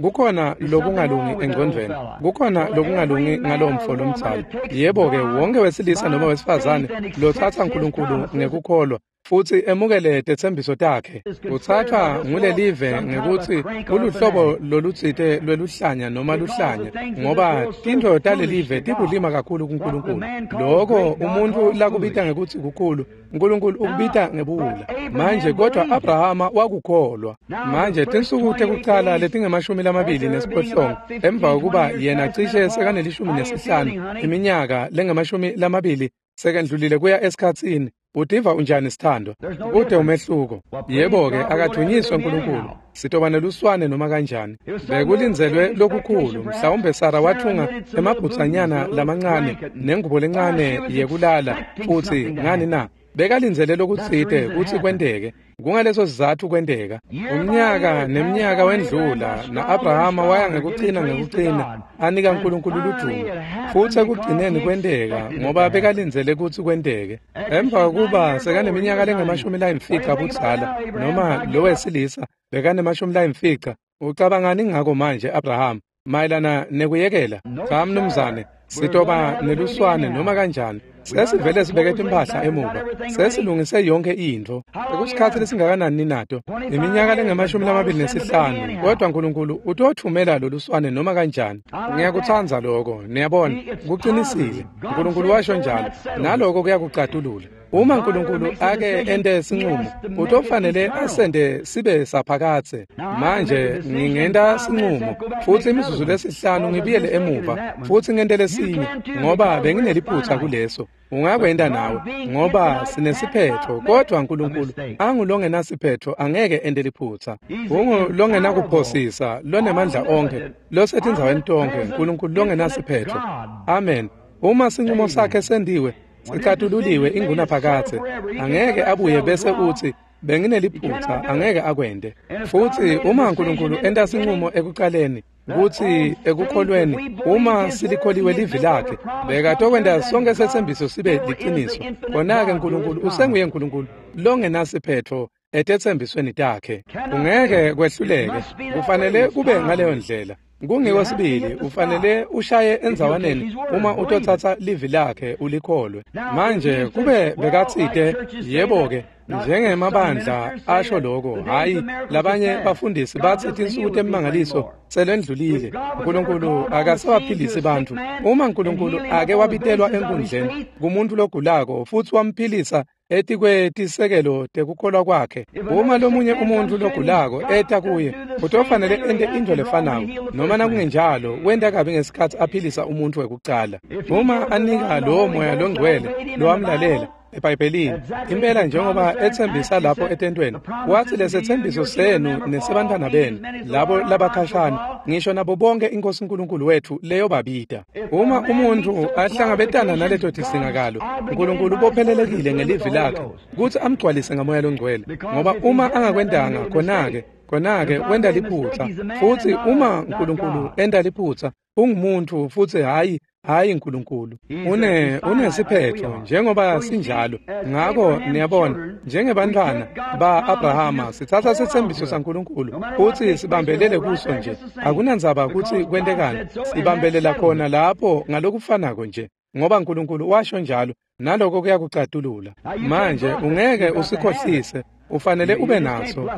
kukhona lokungalungi engcondvweni, kukhona lokungalungi ngalomfo lomdzala. Yebo-ke, wonke wesilisa noma wesifazane lotsatsa Nkulunkulu ngekukholwa futsi emukele tetsembiso takhe, utsatfwa ngulelive ngekutsi uluhlobo lolutsite lweluhlanya noma luhlanya, ngoba tintfo talelive tibulima kakhulu kuNkulunkulu. Loko umuntfu lakubita ngekutsi kukhulu, Nkulunkulu ukubita ngebuwula. Manje kodwa Abrahama wakukholwa. Manje tinsuku tekucala letingemashumi lamabili nesiphohlongo emva kokuba yena cishe sekanelishumi nesihlanu iminyaka lengemashumi lamabili sekendlulile kuya esikhatsini, utiva unjani sithandwa? Kute umehluko. Yebo-ke, akadunyiswe Nkulunkulu. Sitoba neluswane noma kanjani. Bekulindzelwe lokukhulu. Mhlawumbe Sara wathunga emabhutsanyana lamancane nengubo lencane yekulala futsi ngani na? Bekalindzele lokutsite kutsi kwenteke. Kungaleso sizatfu kwenteka. Umnyaka nemnyaka wendlula na-Abrahama waya ngekucina ngekucina anika Nkulunkulu ludumo. Futsi ekugcineni kwenteka ngoba bekalindzele kutsi kwenteke. Emva kokuba sekaneminyaka lengemashumi layimfica budzala noma lowesilisa bekanemashumi layimfica, ucabangani ngako manje Abrahama mayelana nekuyekela? Cha mnumzane, sitoba neluswane noma kanjani. Sesivele sibeke timphahla emuva, sesilungise yonke intfo. Sekusikhatsi lesingakanani ninato? Iminyaka lengemashumi lamabili nesihlanu, kodwa Nkulunkulu utothumela loluswane noma kanjani. Ngiyakutsandza loko, niyabona, kucinisile. Nkulunkulu washo njalo, naloko kuyakucatulula. Uma Nkulunkulu ake ente sinqumo, utofanele asende sibe saphakadze. Manje ngingenta sinqumo futsi imizuzu lesihlanu ngibuyele emuva futsi ngente lesinye, ngoba bengineliphutsa kuleso. Ungakwenta nawe, ngoba sinesiphetho, kodwa Nkulunkulu angulongenasiphetho angeke ente liphutsa. Ungulongenakuphosisa, lonemandla onkhe, losetindzaweni tonkhe, Nkulunkulu longenasiphetho. Amen. Uma sinqumo sakhe sendiwe, sicatululiwe ingunaphakadze, angeke abuye bese utsi bengineliphutsa, angeke akwente. Futsi uma Nkulunkulu enta sinqumo ekucaleni, kutsi ekukholweni uma silikholiwe livi lakhe, bekatokwenta sonke setsembiso sibe liciniso. Khona-ke Nkulunkulu usenguye Nkulunkulu longenasiphetho etetsembisweni takhe. Kungeke kwehluleke, kufanele kube ngaleyo ndlela. Kungiko sibili, ufanele ushaye endzawaneni uma utotsatsa livi lakhe ulikholwe. Manje kube bekatsite, yebo-ke, njengemabandla asho lokho, hhayi labanye bafundisi batsi tinsuku temimangaliso selendlulile, Nkulunkulu akasabaphilisi bantfu. Uma Nkulunkulu ake wabitelwa enkundleni kumuntu logulako futsi wamphilisa etikwetisekelo tekukholwa kwakhe, uma lomunye umuntu logulako eta kuye, utofanele ente intfo lefanako, noma nakungenjalo wenta kabi ngesikhatsi aphilisa umuntfu wekucala. Uma anika lowo moya longcwele lowamlalela, eBhayibhelini impela njengoba ethembisa lapho etentweni wathi lesethembiso senu nesebantwana benu labo labakhashana ngisho nabo bonke inkosi uNkulunkulu wethu leyo babida. Uma umuntu ahlangabetana naleto tisingakalo uNkulunkulu ubophelelekile ngelivi lakhe kutsi amgcwalise ngamoya longcwele ngoba uma angakwendanga khona-ke khona-ke wenda liphutsa futsi uma uNkulunkulu enda liphutsa ungumuntu futsi hayi hayi uNkulunkulu une unesiphetho njengoba sinjalo. Ngakho niyabona njengebantwana ba-Abrahama sithatha sethembiso saNkulunkulu futhi sibambelele kuso nje akunandzaba kutsi kwentekani sibambelela khona lapho ngalokufanako nje ngoba uNkulunkulu washo njalo naloko kuyakucatulula. Manje ungeke usikhohlise ufanele ube naso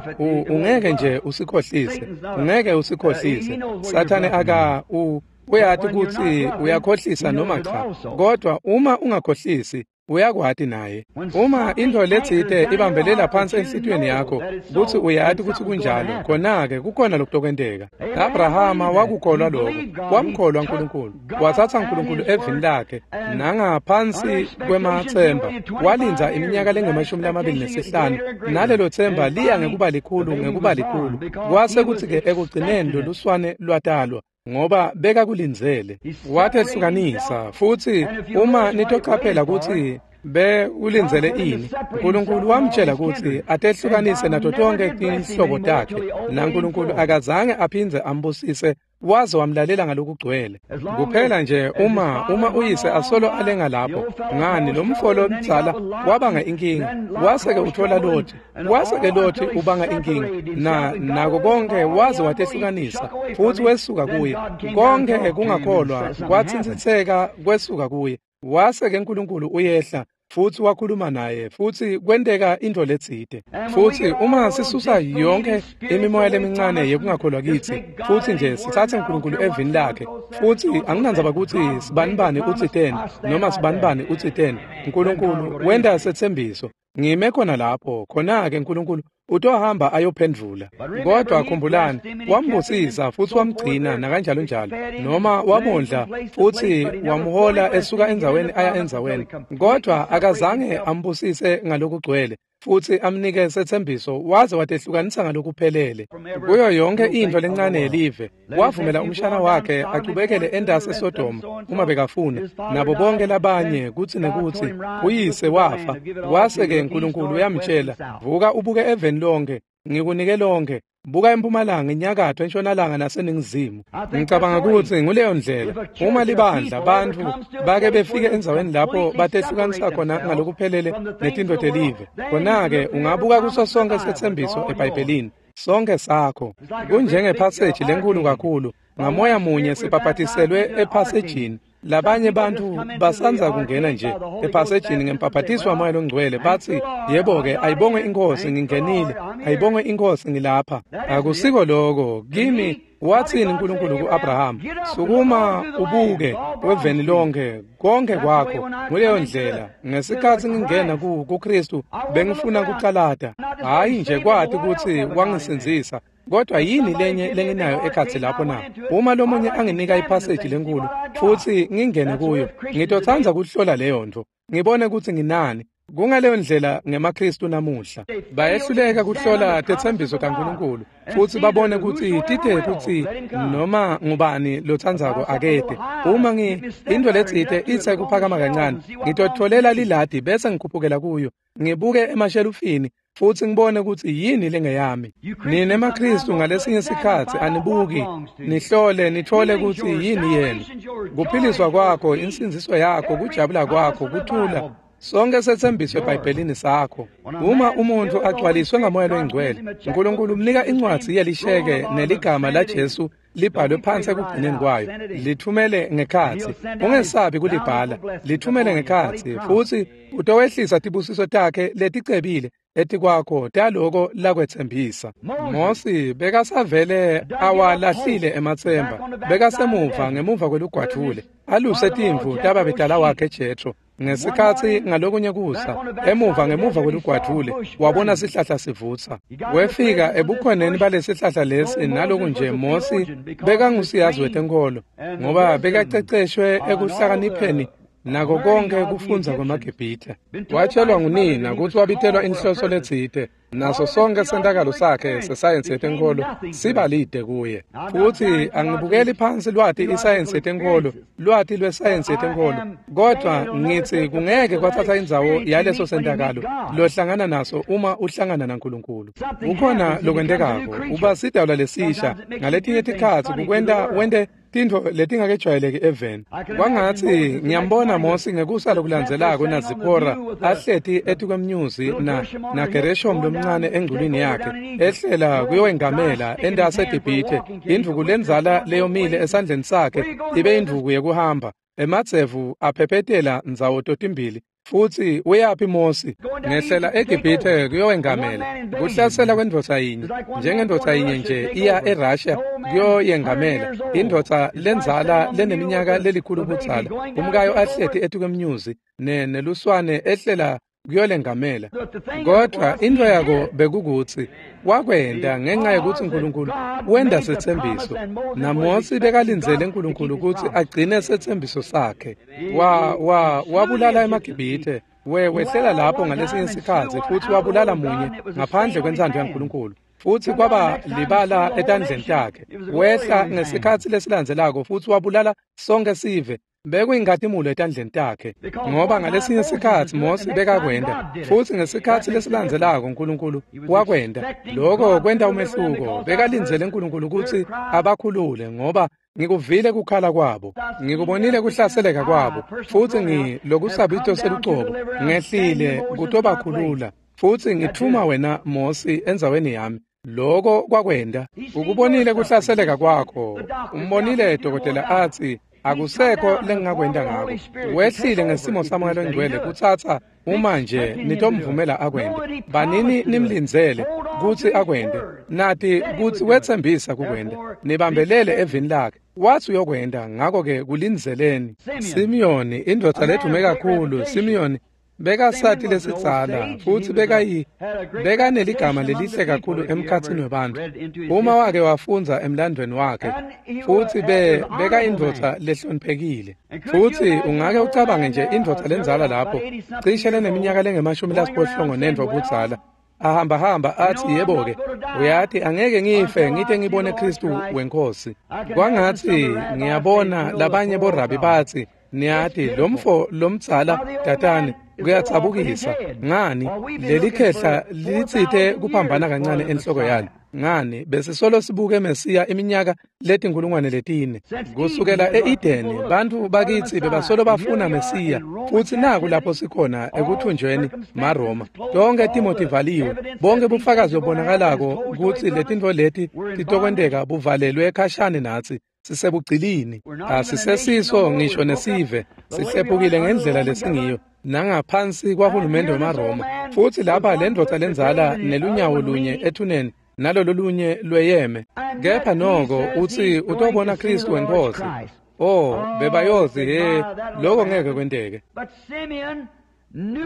ungeke nje usikhohlise ungeke usikhohlise Sathane aka u uyati kutsi uyakhohlisa noma cha kodwa uma ungakhohlisi uyakwati naye. Uma into letsite ibambelela phansi enhlitiyweni yakho kutsi uyati kutsi kunjalo khona-ke kukhona lokutokwenteka. Abrahama wakukholwa lokho wamkholwa uNkulunkulu wathatha uNkulunkulu evini lakhe nangaphansi kwemathemba walindza iminyaka lengemashumi lamabili nesihlanu nalelo themba liya ngekuba likhulu ngekuba likhulu kwase kutsi-ke ekugcineni loluswane lwatalwa ngoba beka kulindzele watehlukanisa. Futsi uma nitoqaphela kutsi be ulindzele ini uNkulunkulu wamtshela kutsi atehlukanise nato tonke tinhlobo takhe naNkulunkulu akazange aphindze ambusise waze wamlalela ngalokugcwele. Kuphela nje uma uma uyise asolo alenga lapho ngani lo mfolo mdzala wabanga inkinga wase-ke uthola Loti wase-ke Loti ubanga inkinga na nako konke waze watehlukanisa futsi wesuka kuye konke kungakholwa kwatsintsitseka kwesuka kuye wase-ke uNkulunkulu uyehla futsi wakhuluma naye futsi kwenteka into letsite. Futsi uma sisusa yonke imimoya lemincane yekungakholwa kitsi futsi nje sitsatse uNkulunkulu evini lakhe futsi anginandzaba kutsi sibanibani utsiteni noma sibanibani utsiteni uNkulunkulu wenta sethembiso ngime khona lapho khona-ke uNkulunkulu utohamba ayophendvula. Kodwa khumbulani wambusisa futsi wamgcina nakanjalo njalo noma wamondla futsi wamhola esuka endzaweni aya endzaweni kodwa akazange ambusise ngalokugcwele futsi amnike sethembiso waze watehlukanisa ngalokuphelele kuyo yonke into lencane yelive. Wavumela umshana wakhe achubekele endasi eSodoma uma bekafuna nabo bonke labanye kutsi nekutsi uyise wafa wase-ke uNkulunkulu uyamtshela vuka ubuke eveni lonke ngikunike lonke buka empumalanga inyakatho entshonalanga naseningizimu. Ngicabanga kutsi nguleyo ndlela uma libandla bantfu bake befike endzaweni lapho batehlukanisa khona ngalokuphelele netinto telive khona-ke ungabuka kuso sonke sethembiso eBhayibhelini sonke sakho kunjengephaseji lenkulu kakhulu ngamoya munye sibhabhatiselwe ephasejini labanye bantfu basanza kungena nje ephasejini ngempaphatiswa wamoya longcwele batsi yebo-ke ayibongwe inkosi ngingenile ayibongwe inkosi ngilapha. Akusiko loko kimi. Wathini uNkulunkulu ku-Abrahama sukuma ubuke weveni lonke konke kwakho. Nguleyo ndlela ngesikhatsi ngingena kuKristu bengifuna kucalata hhayi nje kwati kutsi wangisindzisa kodwa yini lenye lenginayo ekhatsi lapho na? Uma lomunye anginika iphaseji lenkulu futsi ngingene kuyo ngitotsandza kuhlola leyo nto ngibone kutsi nginani. Kungaleyo ndlela ngemaKristu namuhla bayehluleka kuhlola tetsembiso taNkulunkulu futsi babone kutsi tite kutsi noma ngubani lotsandzako akete. Uma ngi into letsite itse kuphakama kancane ngitotholela liladi bese ngikhuphukela kuyo ngibuke emashelufini futsi ngibone kutsi yini lengeyami. Nine maKristu ngalesinye sikhatsi anibuki nihlole nithole kutsi yini yenu. Kuphiliswa kwakho insindziso yakho kujabula kwakho kuthula sonke sethembiso eBhayibhelini sakho. Uma umuntu agcwaliswe ngamoya longcwele uNkulunkulu umnika incwadzi yelisheke neligama laJesu libhalwe phansi ekugcineni kwayo lithumele ngekhatsi. Ungesabi kulibhala lithumele ngekhatsi futsi utowehlisa tibusiso takhe leticebile etikwakho taloko lakwetsembisa. Mosi bekasavele awalahlile emathemba bekasemuva ngemuva kwelugwadvule aluse timvu tababedala wakhe Jethro. Ngesikhatsi ngalokunye kusa emuva ngemuva kwelugwadvule wabona sihlahla sivutsa wefika ebukhoneni balesihlahla lesi naloku nje Mosi bekangusiyazi wetenkolo ngoba bekaceceshwe ekuhlakanipheni Nako konke kufundza kwemaGibhithe. Watshelwa ngunina kutsi wabitelwa inhloso letsite, naso sonke sentakalo sakhe sesayensi yetenkholo sibalide kuye. Futsi angibukeli phansi lwati isayensi yetenkholo, lwati lwesayensi yetenkholo, kodvwa ngitsi kungeke kwatsatsa indzawo yaleso sentakalo lohlangana naso uma uhlangana naNkulunkulu. Kukhona lokwentekako, uba sidalwa lesisha, ngaletinye tikhatsi kukwenta wente tintfo letingakejwayeleki eveni. Kwangatsi ngiyambona Mosi ngekusa lokulandzelako naZiphora ahleti etikwemnyuzi na naGereshom lomncane engculwini yakhe, ehlela kuyowengamela entasi eGibhithe, indvuku lendzala leyomile esandleni sakhe ibe indvuku yekuhamba, emadzevu aphephetela ndzawo totimbili. Futsi uyaphi Mosi? Ngehlela eGibhithe kuyowengamela. Kuhlasela kwendvodza yinye, njengendvodza yinye nje iya eRussia kuyoyengamela, indvodza lendzala leneminyaka lelikhulu budzala, umkayo ahleti etikwemnyuzi ne neluswane ehlela kuyolengamela. Kodwa intfo yako bekukutsi wakwenta ngenxa yekutsi Nkulunkulu wenta setsembiso, naMosi bekalindzele Nkulunkulu kutsi agcine setsembiso sakhe. Wa wa wabulala emaGibhithe, we wehlela lapho ngalesinye sikhatsi futsi wabulala munye ngaphandle kwentsandvo yaNkulunkulu, futsi kwaba libala etandleni takhe. Wehla ngesikhatsi lesilandzelako futsi wabulala sonke sive, bekuyinkhatimulo etandleni takhe, ngoba ngalesinye sikhatsi Mosi bekakwenta, futsi ngesikhatsi lesilandzelako Nkulunkulu wakwenta. Loko kwenta umehluko. Bekalindzele Nkulunkulu kutsi abakhulule, ngoba ngikuvile kukhala kwabo, ngikubonile kuhlaseleka kwabo, futsi ngilokusabito selucobo ngehlile kutobakhulula, futsi ngithuma wena Mosi endzaweni yami. Loko kwakwenta. Ukubonile kuhlaseleka kwakho, umbonile dokotela atsi akusekho lengingakwenta ngako. Wehlile ngesimo saMoya loNgcwele kutsatsa uma nje nitomvumela akwente. Banini nimlindzele kutsi akwente, nati kutsi wetsembisa kukwenta. Nibambelele evini lakhe, watsi uyokwenta, ngako-ke kulindzeleni. Simiyoni, indvodza ledume kakhulu, Simiyoni bekasati lesidzala, futsi bekayi bekaneligama lelihle kakhulu emkhatsini webantfu. Uma wake wafundza emlandweni wakhe, futsi be bekayindvodza lehloniphekile. Futsi ungake ucabange nje indvodza lendzala lapho, cishe leneminyaka lengemashumi lasiphohlongo nentfo budzala, ahamba hamba athi, yebo-ke, uyati angeke ngife ngite ngibone Khristu weNkhosi. Kwangatsi ngiyabona labanye borabi batsi, niyati lomfo lomdzala tatane kuyatsabukisa. Ngani leli khehla litsite kuphambana kancane enhloko yalo. Ngani besisolo sibuke Mesiya iminyaka letinkulungwane letine kusukela e-Edeni. Bantfu bakitsi bebasolo bafuna Mesiya, futsi naku lapho sikhona ekuthunjweni maRoma. Tonke timo tivaliwe, bonke bufakazi lobonakalako kutsi letintfo leti titokwenteka buvalelwe khashane natsi. Sisebugcilini, asisesiso ngisho nesive, sihlephukile ngendlela lesingiyo nangaphansi kwahulumende wemaRoma. Futsi lapha lendvodza lendzala nelunyawo lunye ethuneni nalolo lunye lweyeme, kepha noko utsi utobona Khristu weNkhosi. Oh, bebayozi he, loko ngeke kwenteke.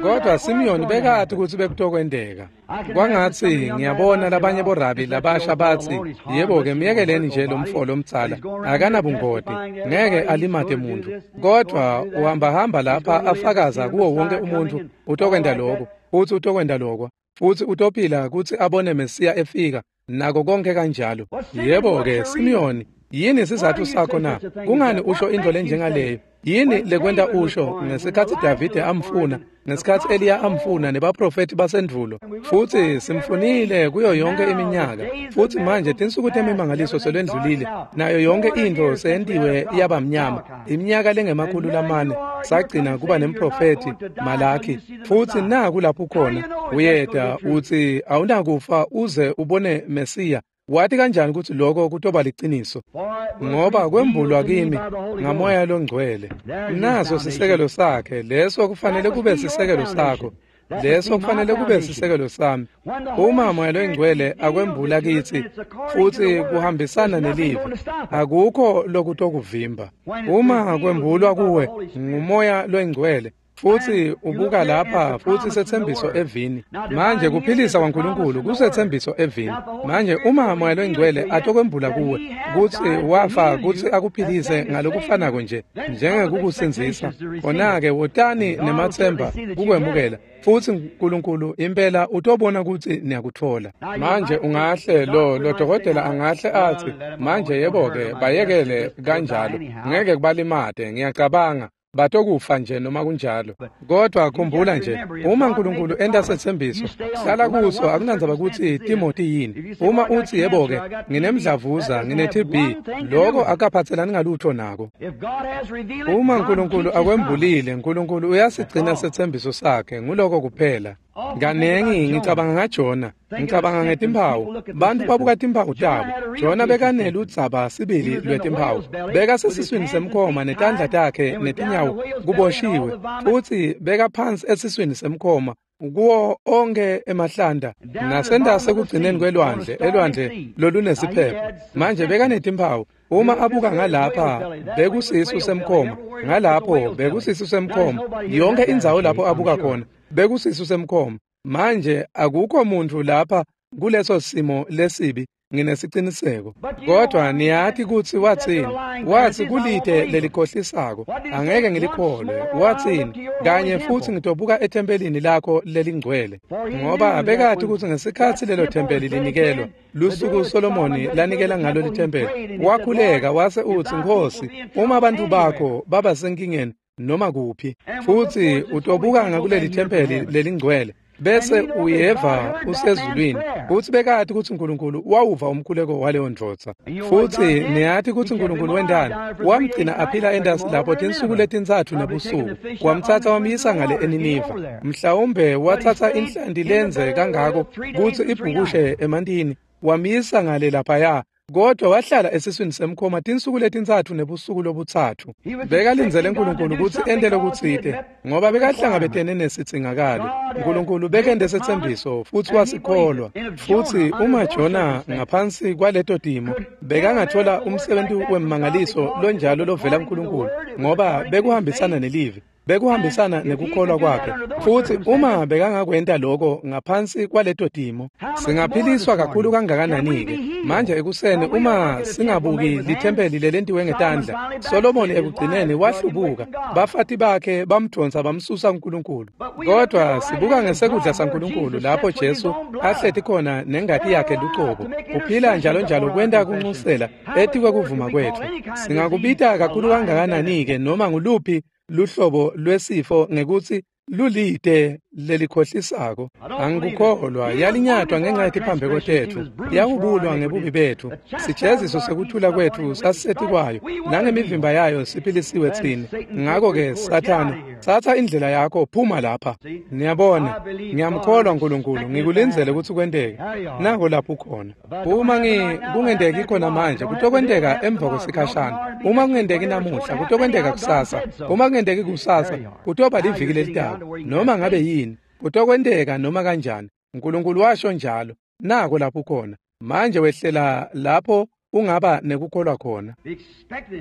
Kodwa Simiyoni bekati kutsi bekutokwenteka. Kwangatsi ngiyabona labanye borabi labasha batsi, yebo-ke, myekeleni nje lomfo lomdzala, akanabungoti, ngeke alimate muntu, kodvwa uhambahamba lapha afakaza kuwo wonke umuntfu utokwenta lokho, futsi utokwenta lokho, futsi utophila kutsi abone Mesiya efika, nako konke kanjalo. Yebo-ke, Simiyoni, yini sizatfu sakho na? Kungani usho intfo lenjengaleyo? Yini lekwenta usho ngesikhatsi Davide amfuna, ngesikhatsi Eliya amfuna nebaprofethi basendvulo? Futsi simfunile kuyo yonke iminyaka, futsi manje tinsuku temimangaliso selwendlulile, nayo yonke intfo seyentiwe yaba mnyama. Iminyaka lengemakhulu lamane sagcina kuba nemprofethi Malaki, futsi naku lapho khona uyeta utsi awunakufa uze ubone Mesiya. Wati kanjani kutsi lokho kutoba liciniso? Ngoba kwembulwa kimi ngaMoya loNgcwele. Naso sisekelo sakhe, leso kufanele kube sisekelo sakho, leso kufanele kube sisekelo sami. Uma Moya loNgcwele akwembula kitsi futsi kuhambisana nelivi, akukho lokutokuvimba. Uma kwembulwa kuwe nguMoya loNgcwele, Futsi ubuka lapha futsi setsembiso evini. Manje kuphilisa kwaNkulunkulu kusetsembiso evini. Manje uma Moya loNgcwele atokwembula kuwe kutsi wafa kutsi akuphilise ngalokufanako nje njengekukusindzisa, khona-ke wotani nematsemba kukwemukela. Futsi uNkulunkulu impela utobona kutsi niyakutfola. Manje ungahle lo lo dokotela angahle atsi, manje yebo-ke bayekele kanjalo, ngeke kubalimate, ngiyacabanga batokufa nje noma kunjalo. Kodwa khumbula nje, uma uNkulunkulu enta setsembiso, hlala kuso, akunandzaba kutsi Timothy yini. Uma utsi yebo-ke nginemdlavuza, ngine-T B, lokho akaphatselani ngalutho nako. Uma uNkulunkulu akwembulile, uNkulunkulu uyasigcina setsembiso sakhe, nguloko kuphela. Kanengi ngicabanga ngaJona, ngicabanga ngetimphawu. Bantu babuka timphawu tabo. Jona bekaneludzaba sibili lwetimphawu. Bekasesiswini semkhoma netandla takhe netinyawo kuboshiwe, futsi bekaphansi esiswini semkhoma kuwo onke emahlanda nasentasi ekugcineni kwelwandle, elwandle lolunesiphepho. Manje bekanetimphawu. Uma abuka ngalapha bekusisu semkhoma, ngalapho bekusisu semkhoma, yonke indzawo lapho abuka khona bekusisu semkhoma. Manje akukho muntu lapha kuleso simo lesibi, nginesiciniseko. Kodwa niyati kutsi watsini? Watsi kulite lelikhohlisako, angeke ngilikholwe. Watsini? Kanye futsi ngitobuka ethempelini lakho lelingcwele. Ngoba bekati kutsi ngesikhatsi lelo thempeli linikelwa, lusuku Solomoni lanikela ngalo lithempeli, wakhuleka wase utsi, Nkhosi, uma abantu bakho baba senkingeni noma kuphi, futsi utobuka ngakuleli thempeli lelingcwele, bese uyeva usezulwini. Futsi bekati kutsi uNkulunkulu wawuva umkhuleko waleyo ndvodza. Futsi niyati kutsi uNkulunkulu wentani? Wamgcina aphila entasi lapho tinsuku letintsatfu nebusuku. Wamtsatsa wamyisa ngale eNiniva. Mhlawumbe watsatsa inhlanti lenze kangako kutsi ibhukushe emantini, wamyisa ngale laphaya. Kodwa wahlala esiswini semkhoma tinsuku letintsatfu nebusuku lobutsatfu. Bekalindzele uNkulunkulu kutsi ente lokutsite, ngoba bekahlangabetene nesidzingakalo. uNkulunkulu bekente setsembiso futsi wasikholwa. Futsi uma Jona ngaphansi kwaleto timo bekangathola umsebenti wemmangaliso lonjalo lovela kuNkulunkulu, ngoba bekuhambisana nelivi, bekuhambisana nekukholwa kwakhe. Futsi uma bekangakwenta lokho ngaphansi kwaleto timo, singaphiliswa kakhulu kangakanani-ke manje ekuseni uma singabuki lithempeli lelentiwe ngetandla. Solomoni ekugcineni wahlubuka, bafati bakhe bamdonsa bamsusa kuNkulunkulu. Kodwa sibuka ngesekudla saNkulunkulu lapho Jesu ahleti khona nengati yakhe lucobo, uphila njalo njalo kwenta kunxusela etikwe kuvuma kwetfu. Singakubita kakhulu kangakanani-ke noma nguluphi luhlobo lwesifo ngekutsi lulite lelikhohlisako. Angikukholwa. Yalinyatwa ngenxa yetiphambeko tetfu, yahubulwa ngebubi betfu. Sijeziso sekuthula kwetfu sasisetikwayo, nangemivimba yayo siphilisiwe tsine. Ngako-ke Sathane, tsatsa indlela yakho, phuma lapha. Niyabona, ngiyamkholwa uNkulunkulu, ngikulindzele kutsi kwenteke. Nako lapho ukhona. Uma ngi kungenteki khona manje, kutokwenteka emva kwesikhashana. Uma kungenteki namuhla, kutokwenteka kusasa. Uma kungenteki kusasa, kutoba liviki lelitako. Noma ngabe yini, kutokwenteka noma kanjani. uNkulunkulu washo njalo. Nako lapho ukhona. Manje wehlela lapho ungaba nekukholwa khona.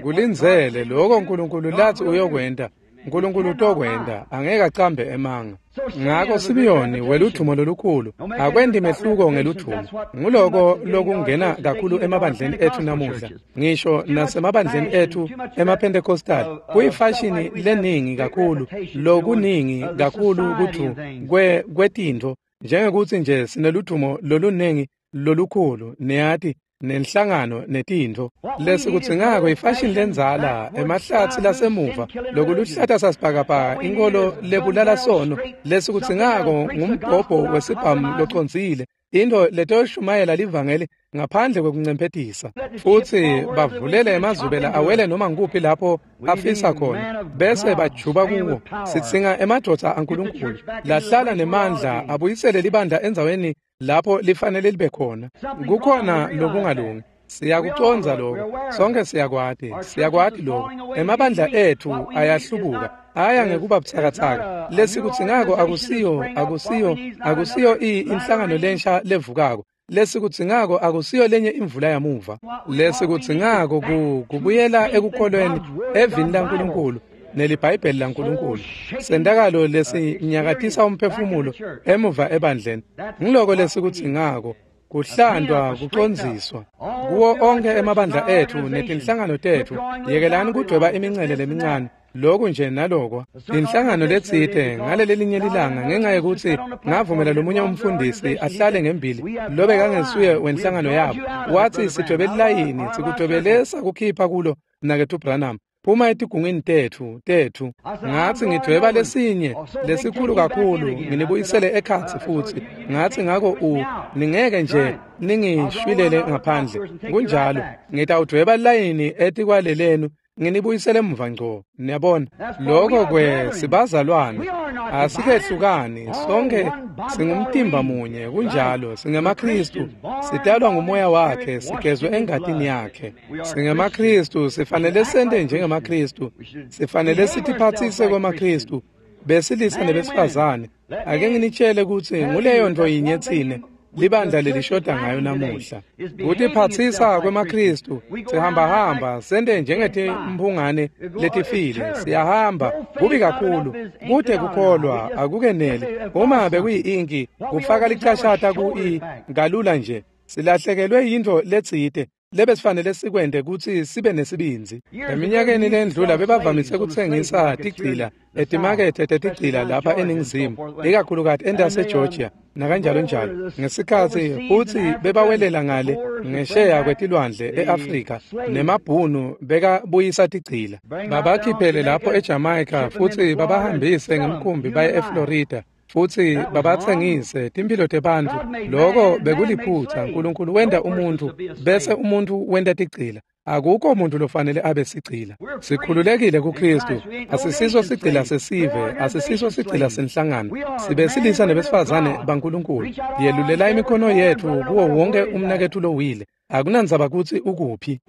Kulindzele lokho uNkulunkulu lathi uyokwenta. uNkulunkulu utokwenta, angeke acambe emanga. Ngako Simiyoni weludvumo lolukhulu, akwendi mehluko ngeludvumo. Nguloko lokungena kakhulu emabandleni ethu namuhla, ngisho nasemabandleni ethu emaPentecostal. Kuyifashini leningi kakhulu, lokuningi kakhulu kuthu kwe kwetintfo, njengekutsi nje sineludvumo lolunengi lolukhulu, niyati, nenhlangano netintfo. Lesikudzingako ifashini lendzala, emahlathi lasemuva, lokuluhlata sasibhakabhaka, inkolo lebulala sono. Lesikudzingako ngumbhobho wesibhamu locondzile, into letoshumayela livangeli ngaphandle kwekuncemphetisa. Futsi bavulele emazubela awele noma ngikuphi lapho afisa khona, bese bajuba kuwo. Sidzinga emadvodza aNkulunkulu lahlala nemandla, abuyisele libandla endzaweni lapho lifanele libe khona. Kukhona lokungalungi. Siyakucondza lokho, sonke siyakwati, siyakwati lokho. Emabandla ethu ayahlubuka, aya ngekuba butsakatsaka. Lesikudzingako akusiyo, akusiyo, akusiyo inhlangano lensha levukako. Lesikudzingako akusiyo lenye imvula yamuva. Lesikudzingako kubuyela ekukholweni evini laNkulunkulu, neliBhayibheli laNkulunkulu. Sentakalo lesinyakatisa umphefumulo emuva ebandleni. Ngiloko lesikudzingako. Kuhlandwa kucondziswa kuwo onke emabandla etfu netinhlangano tetfu. Yekelani kudweba imincele lemincane loku nje naloko. Inhlangano letsite ngalelelinye lilanga ngenxa yekutsi ngavumela lomunye umfundisi ahlale ngembili lobe kangesuye wenhlangano yabo, wathi sidwebe lilayini sikudwebele sakukhipha kulo mnaketfu Branham, phuma etigungwini tetfu tetfu. Ngathi ngidweba lesinye lesikhulu kakhulu nginibuyisele ekhatsi futhi. Ngathi ngako u ningeke nje ningishwilele ngaphandle. Kunjalo, ngitawudweba lilayini etikwalelenu nginibuyisele emuva ngco. Niyabona, lokho kwe sibazalwane asikehlukani, sonke singumtimba munye. Kunjalo, singemaKristu, sitalwa ngumoya wakhe, sigezwe engatini yakhe. SingemaKristu, sifanele sente njengemaKristu, sifanele sitiphatsise kwemaKristu, besilisa nebesifazane. Ake nginitshele kutsi nguleyo nto yinye tsine libandla lelishoda ngayo namuhla. Kutiphatsisa kwemaKristu, sihambahamba sente njengetimphungane letifile, siyahamba kubi kakhulu, kute kukholwa akukeneli. Uma bekuyi-inki kufaka licashata ku-i kalula nje, silahlekelwe yintfo letsite lebesifanele sikwente kutsi sibe nesibindzi. Eminyakeni lendlula bebavamise kutsengisa tigcila etimakethe tetigcila lapha eNingizimu, ikakhulukati entaseGeorgia nakanjalo njalo. Ngesikhatsi futsi bebawelela ngale ngesheya kwetilwandle e-Afrika, nemabhunu bekabuyisa tigcila. Babakhiphele lapho eJamaica futsi babahambise ngemkhumbi baye eFlorida futsi babatsengise timphilo tebantfu. Loko bekuliphutha. Nkulunkulu wenta umuntfu bese umuntfu wenta tigcila. Akukho umuntu lofanele abe sigcila. Sikhululekile kuKristu. Asisiso sigcila sesive, asisiso sigcila senhlangano. Sibesilisa nebesifazane baNkulunkulu. Yelulela imikhono yetfu kuwo wonke umnaketfu lowile. Akunandzaba kutsi ukuphi.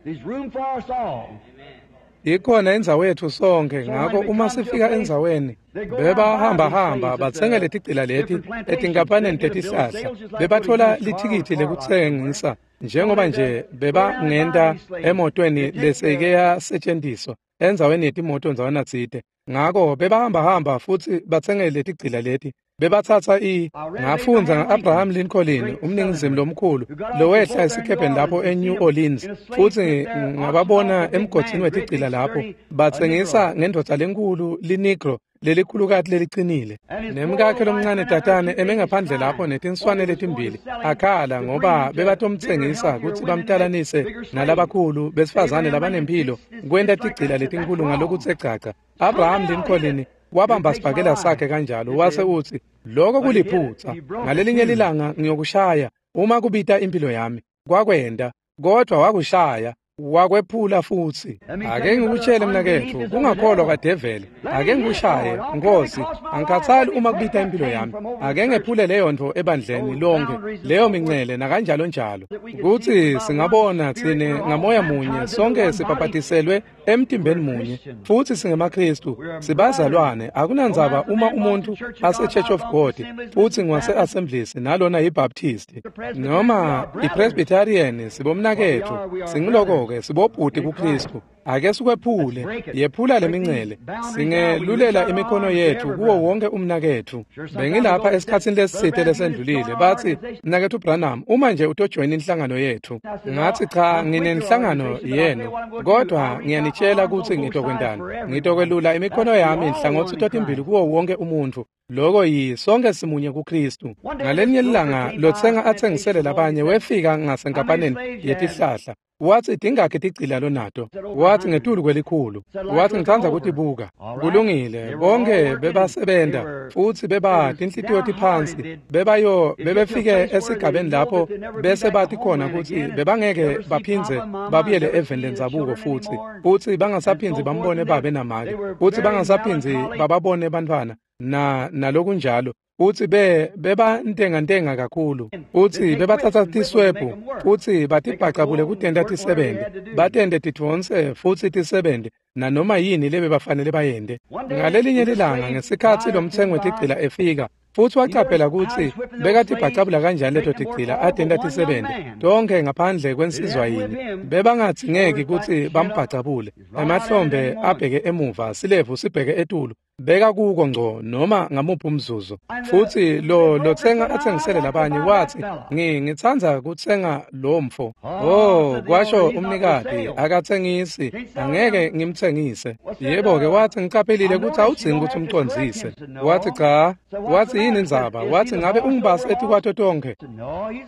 Ikhona indzawo yetfu sonke. Ngako uma sifika endzaweni, bebahambahamba batsenge letigcila leti etinkampaneni tetihlahla, bebatfola lithikithi lekutsengisa njengoba nje bebangenta emotweni leseke yasetjentiswa endzaweni yetimoto ndzawana tsite. Ngako bebahambahamba futsi batsenge letigcila leti. Bebatsatsa i ngafundza nga-Abraham Lincoln, umningizimu lomkhulu lowehla esikebheni lapho eNew Orleans, futsi ngababona emgodini wetigcila lapho batsengisa ngendvodza lenkulu linegro lelikhulukati lelicinile, nemkakhe lomncane tatane eme ngaphandle lapho netinswane letimbili akhala ngoba bebatomtsengisa kutsi bamtalanise nalabakhulu besifazane labanemphilo kwenta tigcila letinkulu ngalokutse gcagca. Abraham Lincoln wabamba sibhakela sakhe kanjalo wase utsi, lokho kuliphutha, ngalelinye lilanga ngiyokushaya uma kubita impilo yami. Kwakwenta, kodwa wakushaya wakwephula futsi. Ake ngikutshele mnaketfu, kungakholwa kwadeveli. Ake ngikushaye, Nkosi, angikhathali uma kubita impilo yami. Ake ngephule leyo ntfo ebandleni lonke, leyo mincele nakanjalo njalo, kutsi singabona tsine ngamoya munye sonke sibhabhatiselwe emtimbeni munye, futsi singemaKristu, sibazalwane. Akunandzaba uma umuntu ase-Church of God futsi ngwase-Assemblies nalona yiBaptist noma iPresbyterian, sibomnaketfu, singiloko sibobhuti kuKristu. Ake sikwephule, yephula lemincele, singelulela imikhono yetfu kuwo wonke umnaketfu. Bengilapha esikhatsini lesitsite lesendlulile, batsi, mnaketfu Branham, uma nje utojoyina inhlangano yetfu. Ngathi cha, nginenhlangano yenu, kodwa ngiyanitshela kutsi ngitokwentani. Ngitokwelula imikhono yami nhlangothi totimbili kuwo wonke umuntfu. Loko yi sonke simunye kuKristu. Ngalenye ilanga lotsenga atsengisele labanye wefika ngasenkampaneni yetihlahla. Wathi tingakhi tigcila lonato? Wathi ngetulu kwelikhulu. Wathi ngitsandza kutibuka. Kulungile, bonke bebasebenta futsi beba tinhlitiyo tiphansi. Bebayo bebefike esigabeni lapho bese bathi khona kutsi bebangeke baphindze babuyele eveni lendzabuko futsi, futsi bangasaphindzi bambone babe namake, futsi bangasaphindzi bababone bantfwana na nalokunjalo. Futsi be bebantengantenga kakhulu, futsi bebatsatsa tiswebhu futsi batibhacabule kutenta tisebente, batente tidvonse futsi tisebente nanoma yini lebebafanele bayente. Ngalelinye lilanga ngesikhatsi lomtsengo wetigcila efika Futsi wacaphela kutsi bekatibhacabula kanjani leto tigcila atenta tisebente tonkhe ngaphandle kwensizwa yinye. Bebangadzingeki kutsi bambhacabule. Emahlombe abheke emuva, silevu sibheke etulu. Beka kuko ngco noma ngamuphi umzuzu. Futsi lo lotsenga atsengisele labanye watsi, ngi ngitsandza kutsenga lo mfo. Oh, kwasho umnikati, akatsengisi, angeke ngimtsengise. Yebo-ke, watsi ngicaphelile kutsi awudzingi kutsi umcondzise. Watsi cha. Watsi yini indzaba? Watsi ngabe ungibasi etikwato tonkhe?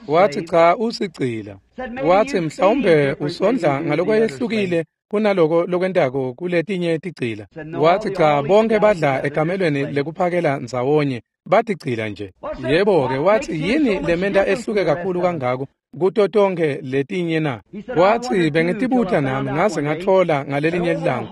Watsi cha, usigcila. Watsi mhlawumbe usondla ngalokwehlukile kunaloko lokwentako kuletinye tigcila. Watsi cha, bonke badla ekamelweni lekuphakela ndzawonye, batigcila nje. Yebo-ke, watsi yini lementa ehluke kakhulu kangako kuto tonkhe letinye na? Watsi bengitibuta nami ngaze ngatfola ngalelinye ilanga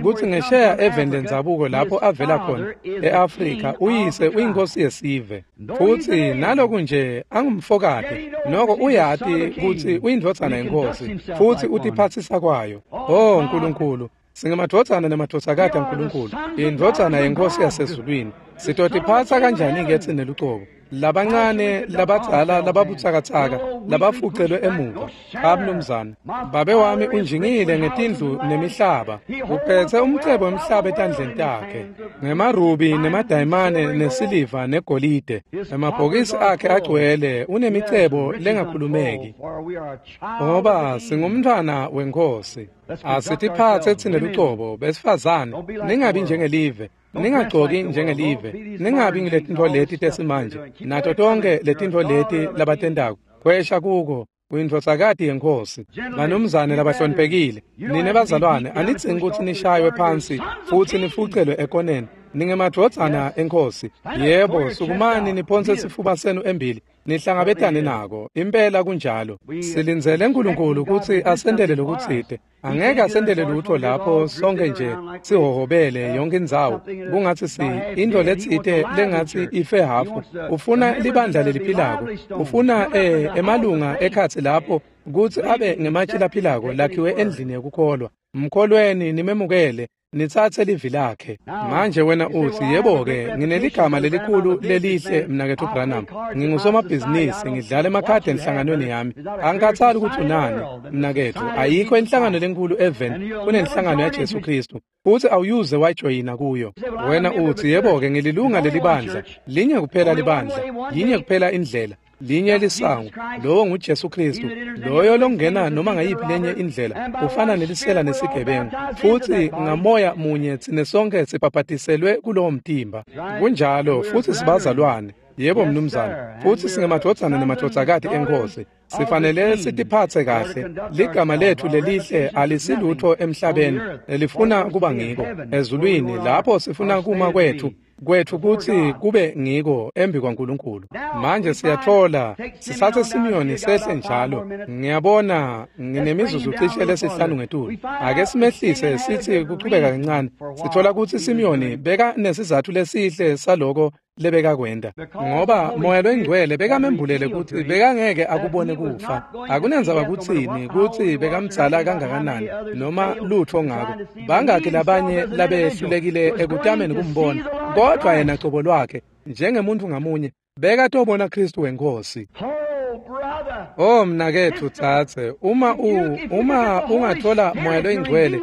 kutsi ngesheya eveni lendzabuko lapho avela khona e-Afrika, uyise uyinkosi yesive. Futsi naloku nje angumfokati, noko uyati kutsi uyindvodzana yenkosi futsi utiphatsisa kwayo. Oh Nkulunkulu, singemadvodzana nemadvodzakati aNkulunkulu, indvodzana yenkosi yasezulwini. Sitotiphatsa kanjani-ke tsine lucobo? Labancane, labadzala, lababutsakatsaka, labafucelwe emuva. Cha mnumzane, babe wami unjingile ngetindlu nemihlaba, uphetse umcebo wemhlaba etandleni takhe, ngemarubi nemadayimane nesiliva negolide. Emabhokisi akhe agcwele, unemicebo lengakhulumeki, ngoba singumntfwana wenkosi. Asitiphatse tsine lucobo, besifazane, ningabi njengelive. Ningagcoki njengelive, ningabi ngiletintfo leti tesimanje, nato tonkhe letintfo leti labatentako. Khwesha kuko, uyindvodzakati yenkosi. Banumzane labahloniphekile, nine bazalwane, anidzingi kutsi nishaywe phansi futsi nifucelwe ekoneni. Ningemadvodzana enkosi. Yebo, sukumani niphonse sifuba senu embili, nihlangabetane nako. Impela kunjalo. Silindzele Nkulunkulu kutsi asentele lokutsite. Angeke asentele lutho lapho sonke nje sihohobele yonke indzawo kungatsi si intfo letsite lengatsi ife hafu. Ufuna libandla leliphilako, ufuna eh, emalunga ekhatsi lapho kutsi abe ngematje laphilako lakhiwe endlini yekukholwa. Mkholweni nimemukele, nitsatse livi lakhe. Manje wena utsi, yebo-ke, ngineligama lelikhulu lelihle mnaketfu Branham. Ngingusomabhizinisi, ngidlala emakhadi enhlanganweni yami. Angikhathali kutsi unani, mnaketfu. Ayikho inhlangano lenkulu eveni kunenhlangano yaJesu Khristu, futsi awuyuze wajoyina kuyo. Wena utsi, yebo-ke, ngililunga lelibandla. Linye kuphela libandla, yinye kuphela indlela, linye lisango, lowo nguJesu Khristu. Loyo longena noma ngayiphi lenye indlela ufana nelisela nesigebengu. Futsi ngamoya munye tsine sonke sibhabhatiselwe kulowo mtimba. Kunjalo, futsi sibazalwane. Yebo mnumzane, futsi singemadvodzana nemadvodzakati enkosi. Sifanele sitiphatse kahle. Ligama letfu lelihle alisilutho emhlabeni lelifuna kuba ngiko. Ezulwini lapho sifuna kuma kwetfu kwetfu kutsi kube ngiko embi kwaNkulunkulu. Manje siyatfola sisathe Simiyoni sehle njalo. Ngiyabona nginemizuzu cishe lesihlanu ngetulu. Ake simehlise sithi kuchubeka kancane. Sithola kutsi Simiyoni beka nesizatfu lesihle saloko lebekakwenta, ngoba Moya loyiNgcwele bekamembulele kutsi bekangeke akubone kufa. Akunendzaba kutsini kutsi bekamdzala kangakanani noma lutfo ngako. Bangakhi labanye labehlulekile ekutameni kumbona, kodvwa yena cobo lwakhe njengemuntfu ngamunye bekatobona Khristu wenkosi. Oh mnaketfu dzadze, uma u uma ungathola Moya loyiNgcwele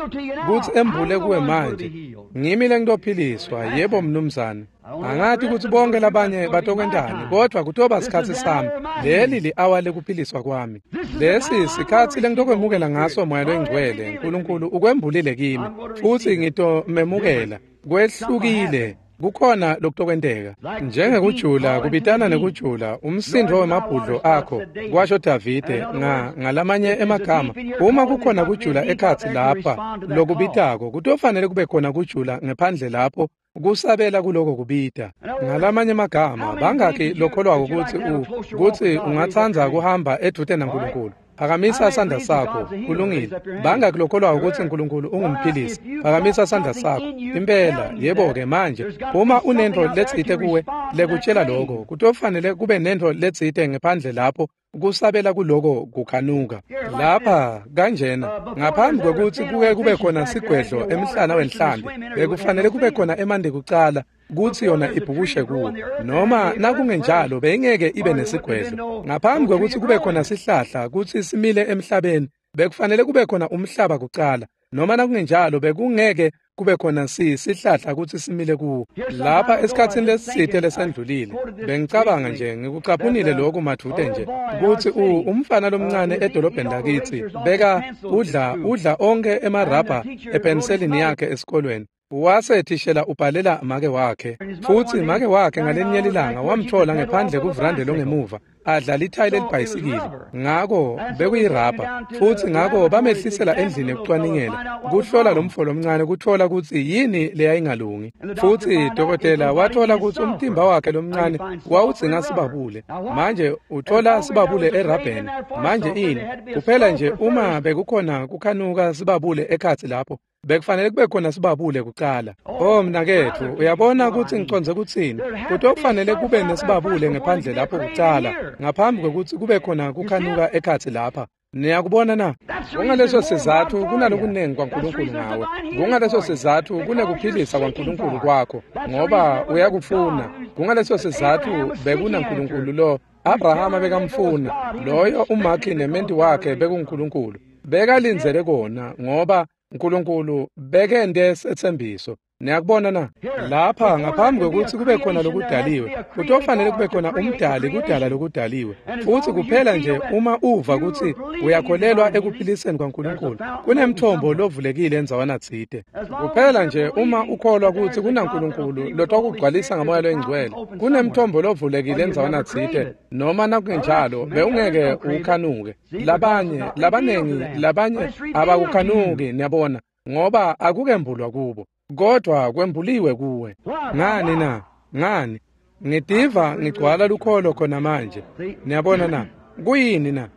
kutsi embule kuwe manje, ngimi lengitophiliswa. Yebo mnumzane. Angati kutsi bonke labanye batokwentani, kodvwa kutoba sikhatsi sami. Leli li-awa lekuphiliswa kwami. Lesi sikhatsi lengitokwemukela ngaso Moya loyiNgcwele. Nkulunkulu ukwembulile kimi, futsi ngitomemukela. Kwehlukile. Kukhona lokutokwenteka. Njengekujula kubitana nekujula, umsindvo wemabhudlo akho, kwasho Davide nga ngalamanye emagama. Uma kukhona kujula ekhatsi lapha lokubitako, kutofanele kube khona kujula ngephandle lapho kusabela kuloko kubita. Ngalamanye emagama, bangakhi lokholwako kutsi u kutsi ungatsandza kuhamba edvute naNkulunkulu? Phakamisa sandla sakho. Kulungile. Bangakhi lokholwako kutsi Nkulunkulu ungumphilisi? Phakamisa sandla sakho. Impela, yebo-ke manje, uma unentfo letsite kuwe lekutshela lokho, kutofanele kube nentfo letsite ngephandle lapho kusabela kuloko kukhanuka. Lapha kanjena, ngaphambi kwekutsi kuke kube khona sigwedlo emhlana wenhlambi, bekufanele kube khona emanti kucala kutsi yona ibhukushe kuwo, noma nakungenjalo beyingeke ibe nesigwedlo. Ngaphambi kwekutsi kube khona sihlahla kutsi simile emhlabeni, bekufanele kube khona umhlaba kucala, noma nakungenjalo bekungeke kube khona si sihlahla kutsi simile kuwo. Lapha esikhatsini lesitsite lesendlulile bengicabanga nje, ngikucaphunile lokhu madvute nje, kutsi umfana lomncane edolobheni lakitsi beka udla udla onkhe emarabha epeniselini yakhe esikolweni. Wase thishela ubhalela make wakhe, futsi make wakhe ngalinye lilanga wamthola ngephandle kuvrande longemuva adla lithayi lelibhayisikili. Ngako bekuyirabha, futsi ngako bamehlisela endlini ekucwaningela kuhlola lomfo lomncane kuthola kutsi yini leyayingalungi. Futsi dokotela wathola kutsi umtimba wakhe lomncane wawudzinga sibabule. Manje uthola sibabule erabheni. Manje ini kuphela nje uma bekukhona kukhanuka sibabule ekhatsi lapho, bekufanele kube khona sibabule kucala. Oh mnaketfu, uyabona kutsi ngicondze kutsini? Kutokufanele kube nesibabule ngephandle lapho kucala, ngaphambi kwekutsi kube khona kukhanuka ekhatsi lapha. Niyakubona na? Kungaleso sizatfu kunalokunengi kwaNkulunkulu ngawe. Kungaleso sizatfu kunekuphilisa kwaNkulunkulu kwakho, ngoba uyakufuna. Kungaleso sizatfu bekunaNkulunkulu lo Abrahama bekamfuna, loyo umakhi nementi wakhe bekuNkulunkulu. Bekalindzele kona ngoba Nkulunkulu bekente setsembiso. Niyakubona na? Lapha ngaphambi kwekutsi kube khona lokudaliwe, kutofanele kube khona umdali kudala lokudaliwe. Futsi kuphela nje uma uva kutsi uyakholelwa ekuphiliseni kwaNkulunkulu, kunemthombo lovulekile endzawana tsite. Kuphela nje uma ukholwa kutsi kunaNkulunkulu lotokugcwalisa ngamoya loyingcwele, kunemthombo lovulekile endzawana tsite, noma nakungenjalo bewungeke ukhanuke. Labanye, labanengi, labanye abakukhanuki, niyabona, ngoba akukembulwa kubo. Kodwa kwembuliwe kuwe. Ngani na? Ngani? Ngitiva ngigcwala lukholo khona manje. Niyabona na? Kuyini na?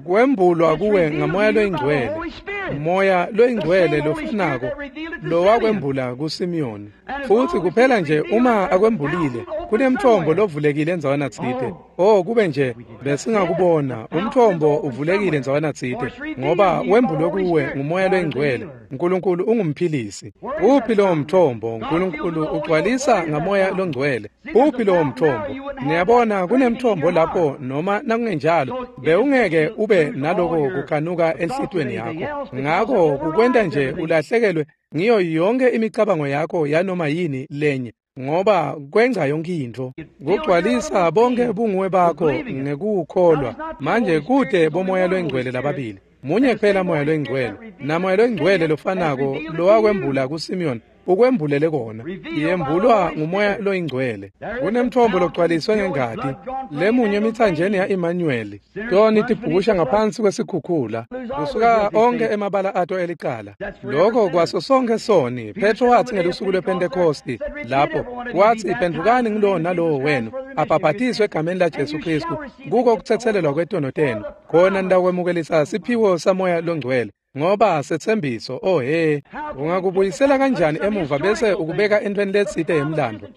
Kwembulwa kuwe ngamoya loyingcwele. Moya loyingcwele lofunako lowakwembula kuSimiyoni. Futsi kuphela nje uma akwembulile, kunemthombo lovulekile endzawana tsite. Oh, kube nje besingakubona umthombo uvulekile endzawana tsite, ngoba wembulwe kuwe ngumoya loyingcwele. Nkulunkulu ungumphilisi. Uphi lowo mthombo? Nkulunkulu ugcwalisa ngamoya longcwele. Uphi lowo mthombo? Niyabona kunemthombo lapho, noma nakungenjalo bewungeke ube naloko kukhanuka enhlitiyweni yakho. Ngako kukwenta nje ulahlekelwe ngiyo yonke imicabango yakho yanoma yini lenye, ngoba kwenza yonke intfo. Kugcwalisa bonke bunguwe bakho ngekukholwa. Manje kude bomoya loyingcwele lababili, munye kuphela moya loyingcwele, namoya loyingcwele lofanako lowakwembula kuSimiyoni ukwembulele kona. Yembulwa ngumoya loyingcwele. Kunemthombo logcwaliswe ngengati lemunye emithanjeni ya-Emmanuel. Toni tibhukusha ngaphansi kwesikhukhula kusuka onke emabala ato elicala. Lokho kwaso sonke soni. Petro wathi ngelusuku lwePentekosti lapho wathi, phendukani ngilowo nalowo wenu abhabhatiswe egameni laJesu Kristu kuko kuthethelelwa kwetono tenu, khona nitawukwemukelisa siphiwo samoya longcwele. Ngoba setsembiso. Oh he, ungakubuyisela kanjani emuva bese ukubeka entweni letsite yemlando?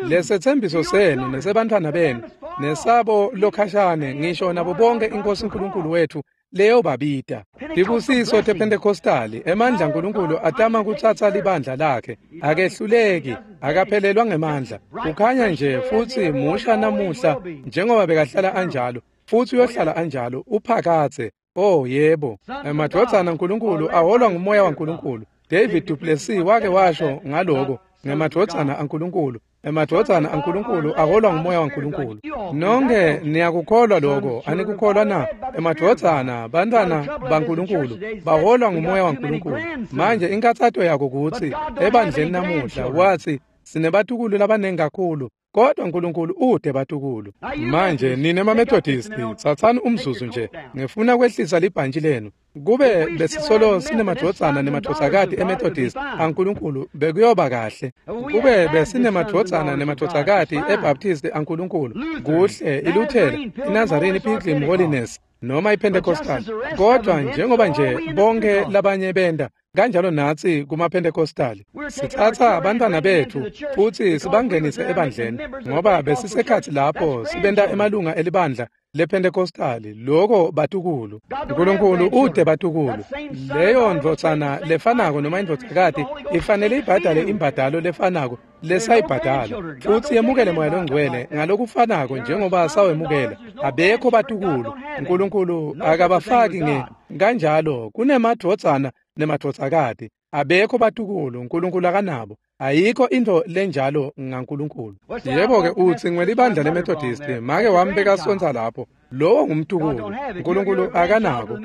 Lesetsembiso senu nesebantfwana benu nesabo lokhashane, ngisho nabo bonke iNkosi uNkulunkulu wethu leyobabita. Tibusiso tePhentekostali, emandla aNkulunkulu atama kutsatsa libandla lakhe. Akehluleki, akaphelelwa ngemandla. Ukhanya nje futsi musha namuhla njengoba bekahlala anjalo, futsi uyohlala anjalo uphakathe. Oh yebo, emadvodzana aNkulunkulu aholwa ngumoya waNkulunkulu. David Duplessis wake washo ngaloko, ngemadvodzana aNkulunkulu. Emadvodzana aNkulunkulu aholwa ngumoya waNkulunkulu. Nonke niyakukholwa lokho, anikukholwa na? Emadvodzana, bantwana baNkulunkulu baholwa ngumoya waNkulunkulu. Manje inkathato yako kutsi ebandleni namuhla wathi sinebatukulu labanengi kakhulu, kodwa uNkulunkulu ude batukulu. Manje nine maMethodisti, tsatsani umzuzu nje, ngifuna kwehlisa libhantshi lenu. Kube besisolo sinemadvodzana nemadvodzakati eMethodist aNkulunkulu bekuyoba kahle. Kube besinemadvodzana nemadvodzakati eBaptist aNkulunkulu, kuhle, iLuthela, iNazarene, iPilgrim Holiness noma iPentecostal. Kodwa njengoba nje bonke labanye benda kanjalo natsi kumaPentecostal sitsatsa abantwana bethu futsi sibangenise ebandleni, ngoba besisekhatsi lapho sibenta emalunga elibandla lePentecostal. Loko batukulu. Nkulunkulu ude batukulu. Leyo ndvodzana lefanako noma indvodzakati ifanele ibhadale imbadalo lefanako lesayibhadala futsi yemukele Moya loNgcwele ngalokufanako njengoba sawemukela. Abekho batukulu, Nkulunkulu akabafaki nge kanjalo. Kunemadvodzana nemadvodzakati, abekho batukulu, Nkulunkulu akanabo. Ayikho into lenjalo ngaNkulunkulu. Yebo-ke utsi ngwelibandla leMethodist, make wami bekasonsa lapho. Lowo ngumtukulu, Nkulunkulu akanako.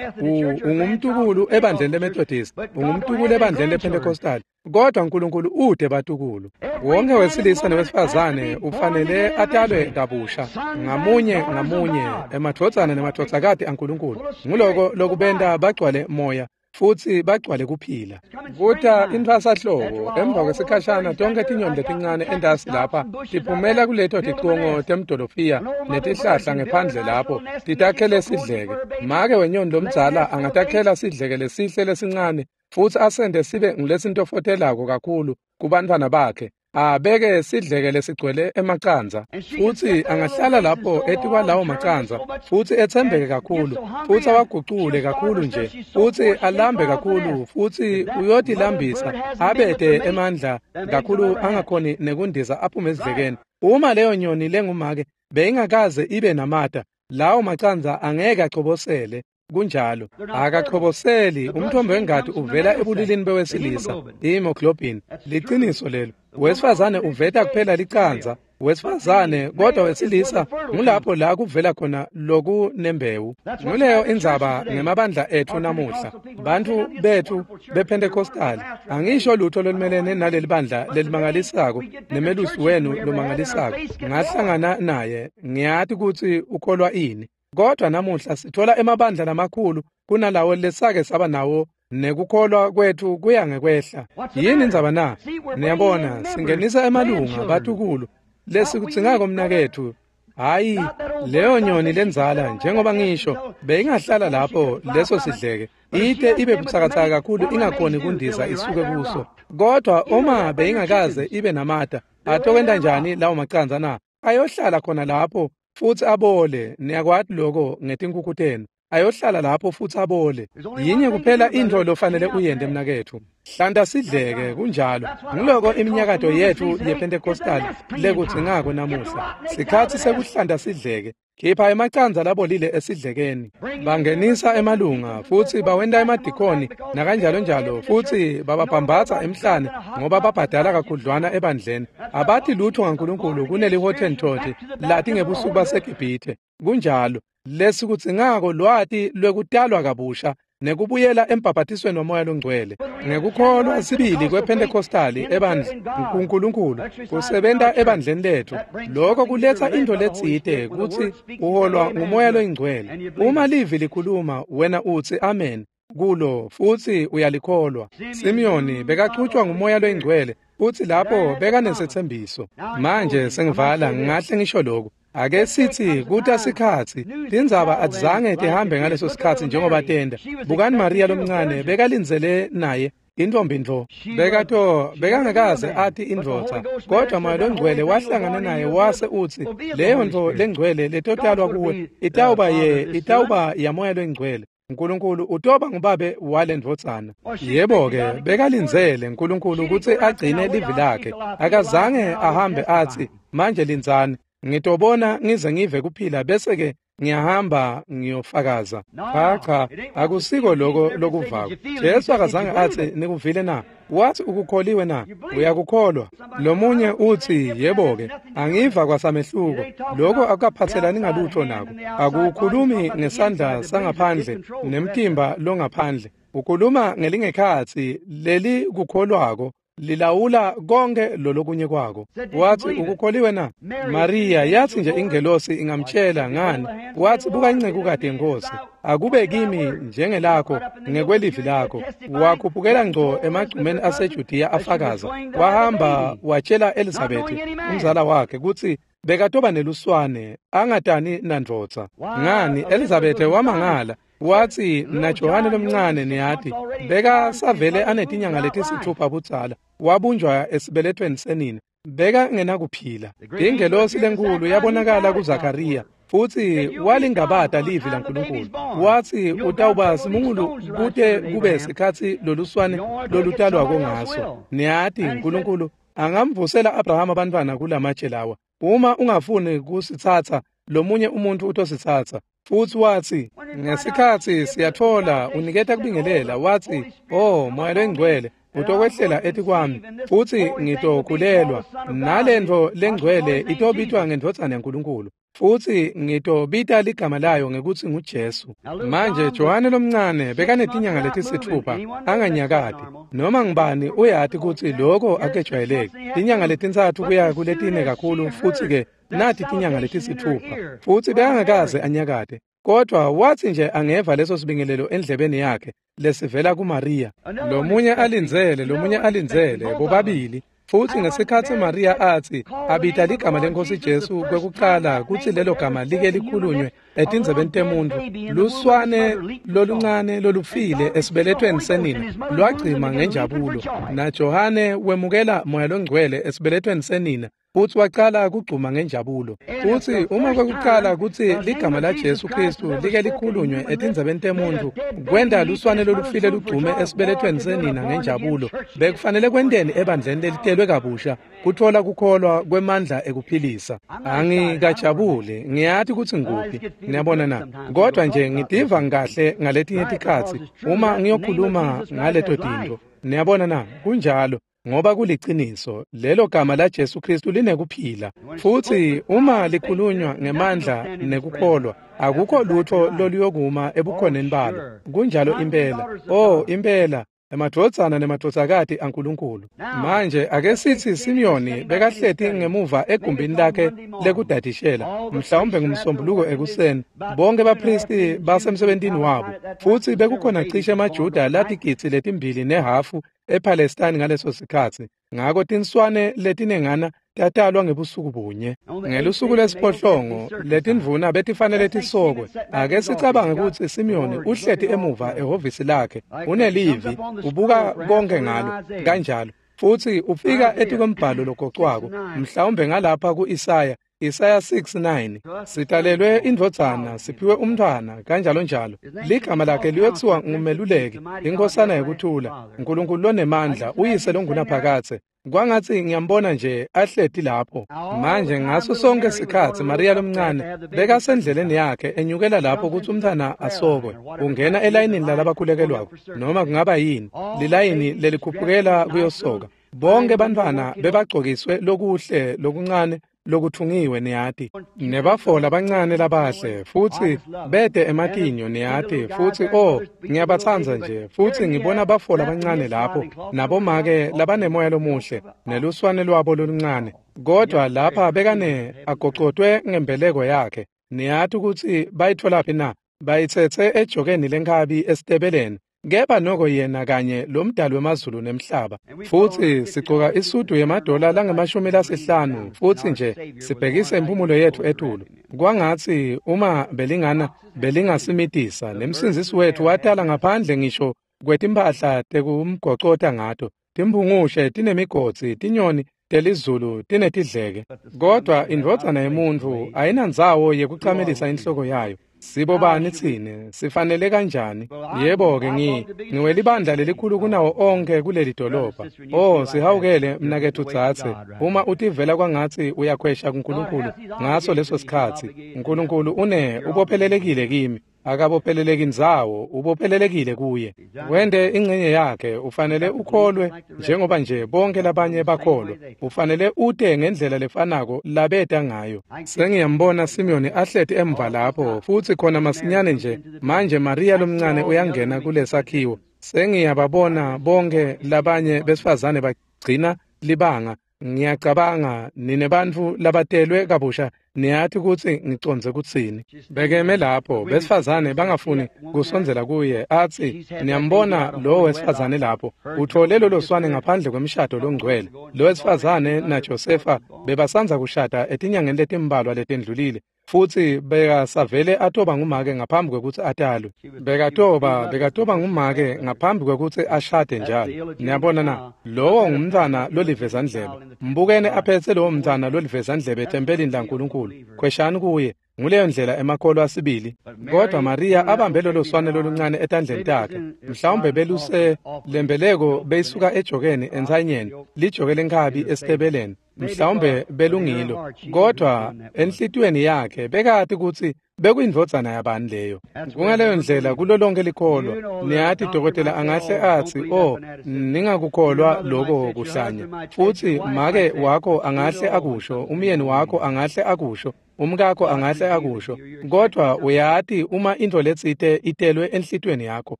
Ungumtukulu ebandleni leMethodist, ungumtukulu ebandleni lePentecostal, kodwa Nkulunkulu ude batukulu. Wonke wesilisa newesifazane ufanele atalwe kabusha, ngamunye ngamunye, emadvodzana nemadvodzakati aNkulunkulu. Nguloko lokubenta bagcwale moya futsi bagcwale kuphila. Kuta intfwasahlobo emva kwesikhashana tonkhe tinyoni letincane entasi lapha tiphumela kuleto ticongo temdolofiya netihlahla ngephandle lapho titakhele sidleke. Make wenyoni lomdzala angatakhela sidleke lesihle lesincane futsi asente sibe ngulesintofotelako kakhulu kubantfwana bakhe. Abeke sidleke lesigcwele emacandza futsi angahlala lapho etikwalawo macandza futsi etsembeke kakhulu futsi awagucule kakhulu nje futsi alambe kakhulu futsi uyotilambisa abete emandla kakhulu angakhoni nekundiza aphume esidlekeni. Uma leyo nyoni lengumake beyingakaze ibe namata, lawo macandza angeke achobosele. Kunjalo, akachoboseli. Umthombo wengati uvela ebulilini bewesilisa, i-hemoglobin. Liqiniso lelo. Wesifazane uveta kuphela licandza, wesifazane, kodwa wesilisa ngulapho la kuvela khona lokunembewu. Nguleyo indzaba ngemabandla etfu namuhla. Bantfu betfu bePentecostal, angisho lutho lolumelene naleli bandla lelimangalisako nemelusi wenu lomangalisako. Ngahlangana naye, ngiyati kutsi ukholwa ini. Kodwa namuhla sithola emabandla lamakhulu kunalawo lesake saba nawo, nekukholwa kwethu kuya ngekwehla. Yini indzaba na? Niyabona, singenisa emalunga batukulu lesikudzingako mnaketfu. Hayi, leyo nyoni lendzala njengoba ngisho beyingahlala lapho leso sidleke ite ibe butsakatsaka kakhulu ingakhoni kundiza isuke kuso. Kodwa uma beyingakaze ibe namata, atokwenta njani lawo macandza na? Ayohlala khona lapho futsi abole. Niyakwati lokho ngetinkukhu tenu. Ayohlala lapho futsi abole. Yinye kuphela intfo lofanele uyente mnaketfu, hlanta sidleke. Kunjalo. Nguloko iminyakato yetfu yePentecostal lekudzingako namuhla. Sikhatsi sekuhlanta sidleke. Khipha emacandza labolile esidlekeni. Bangenisa emalunga futsi bawenta emadikoni nakanjalo njalo, futsi bababhambatsa emhlane ngoba babhadala kakhudlwana ebandleni. Abati lutho ngaNkulunkulu kuneli-Hottentot lati ngebusuku baseGibhithe. Kunjalo. Lesikudzingako lwati lwekutalwa kabusha nekubuyela embhabhatisweni waMoya loNgcwele ngekukholwa sibili kwePentecostali ebandla kuNkulunkulu kusebenta ebandleni letfu. Lokho kuletsa intfo letsite kutsi uholwa nguMoya loNgcwele. Uma livi likhuluma, wena utsi amen kulo futsi uyalikholwa. Simiyoni bekachutjwa nguMoya loNgcwele futsi lapho bekanesetsembiso. Manje sengivala, ngingahle ngisho lokhu. Ake sithi kuta sikhatsi tindzaba atizange tihambe ngaleso sikhatsi njengoba tenda. Bukani Maria lomncane bekalindzele naye intombi ntfo. Bekato bekangakaze ati indvodza, kodwa Moya loNgcwele wahlangana naye wase utsi leyo ntfo lengcwele letotalwa kuwe itawuba ye itawuba yaMoya loNgcwele. Nkulunkulu utoba ngubabe walendvodzana. Yebo-ke, bekalindzele Nkulunkulu kutsi agcine livi lakhe. Akazange ahambe atsi manje lindzani ngitobona ngize ngive kuphila bese ke ngiyahamba ngiyofakaza. Cha cha, akusiko lokho lokuvako. Jesu akazange atsi nikuvile na? Wathi ukukholiwe na? Uyakukholwa. Lomunye utsi yebo-ke, angiva kwasamehluko. Lokho akukaphathelani ngalutho nako. Akukhulumi ngesandla sangaphandle nemtimba longaphandle. Ukhuluma ngelingekhatsi leli kukholwako lilawula konke lolokunye kwako. Wathi ukukholiwe na? Maria yathi nje ingelosi ingamtshela ngani. Wathi buka incekukade yenkosi, akube kimi njengelakho ngekwelivi lakho. Wakhuphukela ngco emagcumeni aseJudiya afakaza. Wahamba watshela Elizabeth umzala wakhe kutsi bekatoba neluswane angatani nandvodza. Ngani Elizabeth wamangala. Wathi naJohane lomncane niyati beka savele anetinyanga letisithupha budzala, wabunjwa esibelethweni senina, beka ngenakuphila. Ingelosi lenkulu yabonakala kuZakaria futsi walingabata livi laNkulunkulu. Wathi utawuba simungulu kute kube sikhatsi loluswane lolutalwako ngaso. Niyati Nkulunkulu Angamvusela Abrahama abantwana kulamatshe lawa. Uma ungafuni kusitsatsa, lomunye umuntu utositsatsa. Futhi wathi ngesikhathi siyathola uniketa kubingelela, wathi, "Oh, Moya lengcwele utokwehlela etikwami, futhi ngitokhulelwa, nalento lengcwele itobitwa ngendvodzana yaNkulunkulu, futhi ngitobita ligama layo ngekuthi nguJesu." Manje Johane lomncane bekanetinyanga letisithupha anganyakati. Noma ngibani uyati kutsi lokho akejwayeleki. Tinyanga letintsatfu kuya kuletine kakhulu, futhi ke nati tinyanga letisithupha, futhi bekangakaze anyakate. Kodwa wathi nje angeva leso sibingelelo endlebeni yakhe lesivela kuMaria, lomunye alindzele, lomunye alindzele, bobabili. Futhi ngesikhathi Maria athi abita ligama lenkosi Jesu kwekuqala kutsi lelo gama like likhulunywe etindzebeni temuntu, luswane loluncane lolufile esibelethweni senina lwagcima ngenjabulo. Na Johane wemukela Moya longcwele esibelethweni senina, futhi waqala kugcuma ngenjabulo. Futhi uma kwekuqala kutsi ligama la Jesu Kristu like likhulunywe etindzebeni temuntu, kwenta luswane lolufile lugcume esibelethweni senina ngenjabulo, bekufanele kwenteni ebandleni lelitelwe kabusha kuthola kukholwa kwemandla ekuphilisa. Angikajabuli, ngiyati kutsi ngikuphi, niyabona na, kodwa nje ngitiva ngikahle ngaletinye tikhatsi uma ngiyokhuluma ngaleto tintfo. Niyabona na, kunjalo, ngoba kuliciniso, lelo gama la Jesu Kristu linekuphila. Futhi uma likhulunywa ngemandla nekukholwa, akukho lutho loluyokuma ebukhoneni balo. Kunjalo impela. Oh, impela, emadvodzana nemadvodzakati aNkulunkulu. Manje ake sithi Simiyoni bekahleti ngemuva egumbini lakhe lekudadishela, mhlawumbe ngumsombuluko ekuseni. Bonke bapristi basemsebentini wabo, futhi bekukhona cishe emaJuda latigidzi letimbili nehafu ePalestine ngaleso sikhatsi. Ngako tinswane letinengana tatalwa ngebusuku bunye. Ngelusuku lesiphohlongo letindvuna betifanele tisokwe. Ake sicabange kutsi Simiyoni uhleti emuva ehhovisi lakhe, unelivi, ubuka konke ngalo kanjalo, futhi ufika etikwembhalo logocwako, mhlawumbe ngalapha ku-Isaya, Isaya six nine, sitalelwe indvodzana, siphiwe umntfwana, kanjalo njalo. Ligama lakhe liyothiwa nguMeluleki, inkosana yekuthula, uNkulunkulu lonemandla, uyise longunaphakadze. Kwangatsi ngiyambona nje ahleti lapho. Manje ngaso sonke sikhatsi Maria lomncane bekasendleleni yakhe enyukela lapho kutsi umntfwana asokwe. Ungena elayinini lalabakhulekelwako, noma kungaba yini, lilayini lelikhuphukela kuyosoka. Bonke bantfwana bebagcokiswe lokuhle lokuncane lokuthungiwe, niyati, nebafola abancane labahle, futhi bede ematinyo, niyati, futhi oh, ngiyabatsandza nje. Futhi ngibona bafola abancane lapho nabomake labanemoya lomuhle neluswane lwabo loluncane, kodwa lapha bekane agocotwe ngembeleko yakhe. Niyati ukuthi bayitholaphi na? Bayitsetse ejokeni lenkhabi esitebeleni. Kepha noko yena kanye lomdali wemazulu nemhlaba. Futhi sigcoka isudu yemadola langemashumi lasihlanu, futhi nje sibhekise impumulo yethu etulu. Kwangatsi uma belingana belingasimitisa, nemsindzisi wethu watala ngaphandle ngisho kwetimphahla tekumgocota ngato. Timphungushe tinemigodzi, tinyoni telizulu tinetidleke. Kodwa indvodzana yemuntfu ayinandzawo yekucamelisa inhloko yayo. Sibobani tsine? Sifanele kanjani? Yebo-ke, ngi ngiwelibandla lelikhulu kunawo onke kuleli dolobha. Oh, sihawukele mnaketfu dzadze, uma utivela kwangatsi uyakhwesha kuNkulunkulu ngaso leso sikhatsi, uNkulunkulu une ubophelelekile kimi. Akabopheleleki ndzawo, ubophelelekile kuye. Wente ingcenye yakhe, ufanele ukholwe njengoba nje bonke labanye bakholwa. Ufanele ute ngendlela lefanako labeta ngayo. Sengiyambona Simiyoni ahleti emva lapho, futhi khona masinyane nje manje Maria lomncane uyangena kulesakhiwo. Sengiyababona bonke labanye besifazane bagcina libanga. Ngiyacabanga nine bantfu labatelwe kabusha niyati kutsi ngicondze kutsini. Bekeme lapho besifazane bangafuni kusondzela kuye, atsi, niyambona lo wesifazane lapho, uthole lolo swane ngaphandle kwemshado longcwele. Lo wesifazane naJosefa bebasandza kushada etinyangeni letimbalwa letendlulile, futhi bekasavele atoba ngumake ngaphambi kwekutsi atalwe. Bekatoba bekatoba ngumake ngaphambi kwekutsi ashade njalo. Niyabona na, lowo ngumntfwana lolivezandlebe. Mbukene aphetse lowo mntfwana lolivezandlebe ethempelini laNkulunkulu. Khweshani kuye. Nguleyo ndlela emakholwa asibili. Kodwa Maria abambe lolo swane loluncane etandleni takhe, mhlawumbe beluse lembeleko beyisuka ejokeni entsanyeni, lijoke lenkhabi esitebeleni, mhlawumbe belungilo, kodwa enhlitiyweni yakhe bekati kutsi bekuyindvodzana yabani leyo. Kungaleyo ndlela kulo lonke likholwa. Niyati dokotela angahle atsi, "Oh, ningakukholwa lokho kuhlanya." Futsi make wakho angahle akusho, umyeni wakho angahle akusho, umkakho angahle akusho, kodwa uyati uma intfo letsite itelwe enhlitiyweni yakho,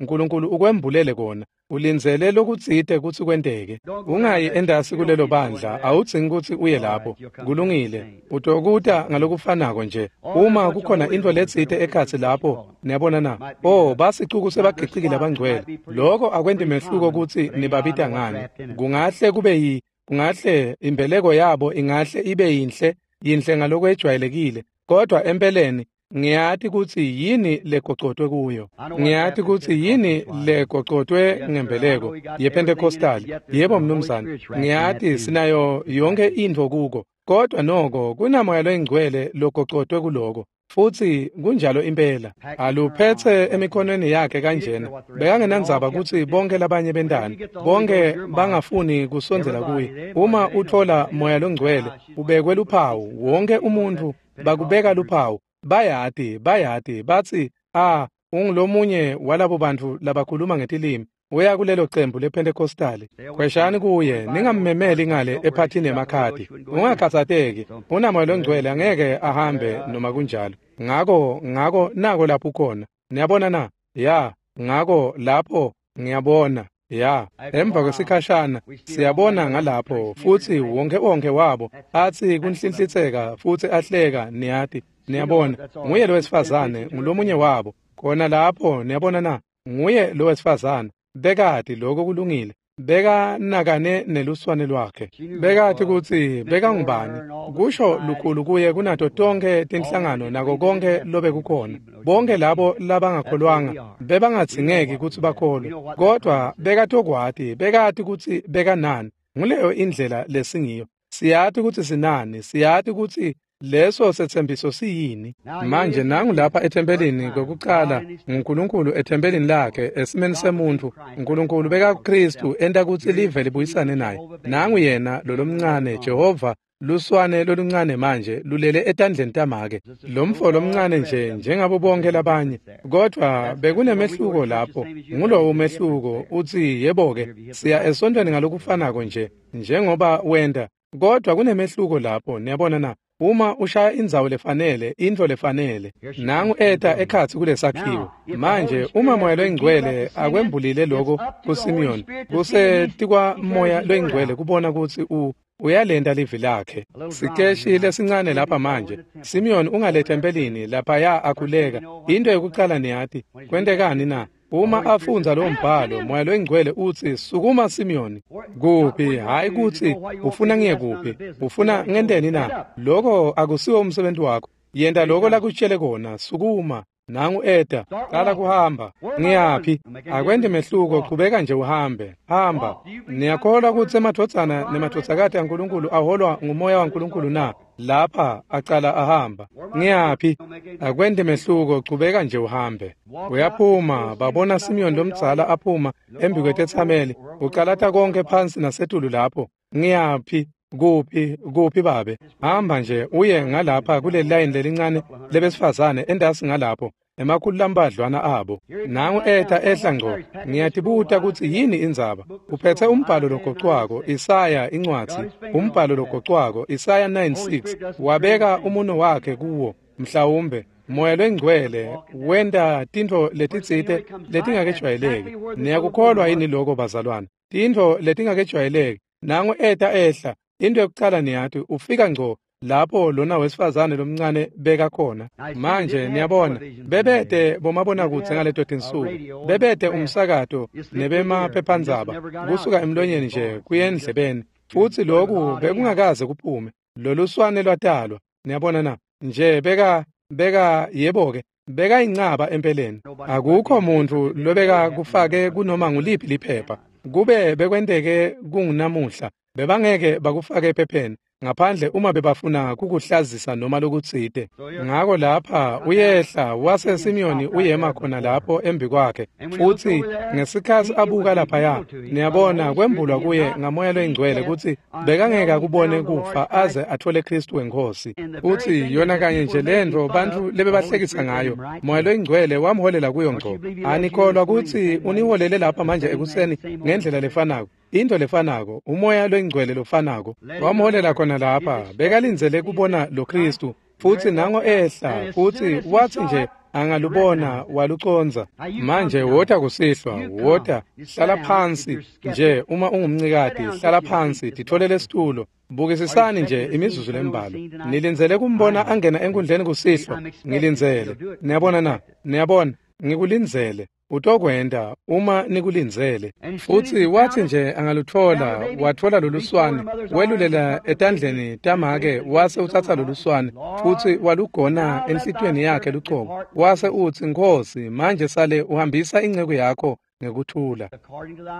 Nkulunkulu ukwembulele kona. Ulindzele lokutsite kutsi kwenteke. Ungayi endasi kulelo bandla, awudzingi kutsi uye lapho. Kulungile, utokuta ngalokufanako nje. Uma kukhona intfo letsite ekhatsi lapho, niyabona na? Oh, basicuku sebagiciki labangcwele. Loko akwenti mehluko kutsi nibabita ngani. Kungahle kube yi, kungahle imbeleko yabo ingahle ibe yinhle, yinhle ngalokwejwayelekile, kodwa empeleni ngiyati kutsi yini legocotwe kuyo. Ngiyati kutsi yini legocotwe ngembeleko yePentecostal. Yebo mnumzane, ngiyati sinayo yonke intfo kuko, kodwa noko kunamoya loyingcwele logocotwe kuloko. Futsi kunjalo impela. Aluphetse emikhonweni yakhe kanjena. Bekangenandzaba kutsi bonke labanye bentani, bonke bangafuni kusondzela kuye. Uma utfola moya longcwele, ubekwe luphawu, wonke umuntfu bakubeka luphawu. Bayati, bayati, batsi, "Ah, ungulomunye walabo bantfu labakhuluma ngetilimi. Uya kulelo cembu lePentecostali. Khweshani kuye, ningammemeli ngale ephathini yemakhadi. Ungakhatsateki, unamoya longcwele angeke ahambe noma kunjalo." Ngako, ngako nako lapho ukhona. Niyabona na? Ya, ngako lapho ngiyabona. Ya, emva kwesikhashana siyabona ngalapho futsi wonke wonke wabo atsi kunhlinhlitseka futsi ahleka, niyati. Niyabona, nguye lo wesifazane, ngulomunye wabo. Khona lapho, niyabona na? Nguye lo wesifazane. Bekati lokho kulungile. Bekanakane neluswane lwakhe. Bekati kutsi bekangubani. Kusho lukhulu kuye kunato tonke tinhlangano nako konke lobekukhona. Bonke labo labangakholwanga bebangadzingeki kutsi bakholwe, kodwa bekatokwati, bekati kutsi bekanani. Nguleyo indlela lesingiyo. Siyati kutsi sinani, siyati kutsi leso setsembiso siyini. Manje nangu lapha ethempelini kokucala, nguNkulunkulu ethempelini lakhe esimeni semuntfu. Nkulunkulu bekakuKristu enta kutsi live libuyisane naye. Nangu yena lolomncane Jehova, luswane loluncane manje lulele etandleni tamake. Lomfo lomncane nje njengabo bonke labanye, kodwa bekunemehluko lapho. Ngulowo umehluko. Utsi, "Yebo-ke, siya esontweni ngalokufanako nje njengoba wenta," kodwa kunemehluko lapho. Niyabona na? Uma ushaya indzawo lefanele, intfo lefanele. Nangu eta ekhatsi kulesakhiwo. Manje uma moya loyingcwele akwembulile lokho kuSimiyoni, kusetikwa moya loyingcwele kubona kutsi u uyalenta livi lakhe. Sikeshi lesincane lapha manje. Simiyoni ungaletha empelini laphaya akhuleka. Into yokucala niyati, kwentekani na? Uma afundza lowo mbhalo, moya loyingcwele utsi, "Sukuma Simiyoni." Kuphi? Hayi kutsi ufuna ngiye kuphi, ufuna ngenteni na? Lokho akusiwo umsebenzi wakho. Yenta lokho lakutshele kona. Sukuma. Nangu eta, qala kuhamba. Ngiyaphi? Akwenti mehluko, qhubeka nje uhambe. Hamba. Niyakholwa kutsi emadvodzana nemadvodzakati aNkulunkulu aholwa ngumoya waNkulunkulu na? Lapha acala ahamba. Ngiyaphi? Akwenti mehluko, qhubeka nje uhambe. Uyaphuma, babona Simiyoni lomdzala aphuma embi kwetetsameli, ucalata konke phansi nasetulu lapho. Ngiyaphi? Kuphi? Kuphi babe? Hamba nje uye ngalapha kule line lelincane lebesifazane endasi ngalapho, emakhulu lambadlwana abo. Nangu eta ehla ngco. Ngiyatibuta kutsi yini indzaba. Uphethe umbhalo logocwako, Isaya incwadzi, umbhalo logocwako, Isaya nine six. Wabeka umuno wakhe kuwo, mhlawumbe Moya loyingcwele wenta tintfo letitsite letingakejwayeleki. Niyakukholwa yini lokho bazalwane? Tintfo letingakejwayeleki. Nangu eta ehla. Into yokucala niyati, ufika ngco lapho lona wesifazane lomncane beka khona. Manje niyabona, bebete bomabonakudze ngaleto tinsuku, bebete umsakato nebemaphephandzaba, kusuka emlonyeni nje kuye endlebeni, futsi lokhu bekungakaze kuphume. Loluswane lwatalwa. Niyabona na? Nje beka beka yebo-ke, beka incaba empeleni. Akukho muntfu lobeka kufake kunoma nguliphi liphepha. Kube bekwenteke kungunamuhla, bebangeke bakufake ephepheni. ngaphandle uma bebafuna kukuhlazisa noma lokutsite. Ngako lapha uyehla wase Simiyoni uyema khona lapho embi kwakhe, futsi ngesikhatsi abuka laphaya, niyabona kwembulwa kuye ngaMoya loyiNgcwele kutsi bekangeke akubone kufa aze athole Khristu weNkhosi. Futsi yona kanye nje lentfo bantfu lebebahlekisa ngayo, Moya loyiNgcwele wamholela kuyo ngco. Anikholwa kutsi uniholele lapha manje ekuseni ngendlela lefanako, into lefanako, uMoya loyiNgcwele lofanako wamholela khona lapha. Bekalindzele kubona lo Khristu, futsi nango ehla, futsi watsi nje angalubona walucondza. Manje wota kusihlwa, wota, hlala phansi nje. Uma ungumncikati, hlala phansi, titfolele isitulo. Bukisisani nje imizuzu lembalwa. Nilindzele kumbona angena enkundleni kusihlwa. Ngilindzele. Niyabona na? Niyabona, ngikulindzele. Utokwenta uma nikulindzele. Futsi watsi nje angalutfola, watfola loluswane, welulela etandleni tamake, wase utsatsa loluswane futsi walugona enhlitiyweni yakhe lucobo. Wase utsi, Nkhosi, manje sale uhambisa inceku yakho ngekuthula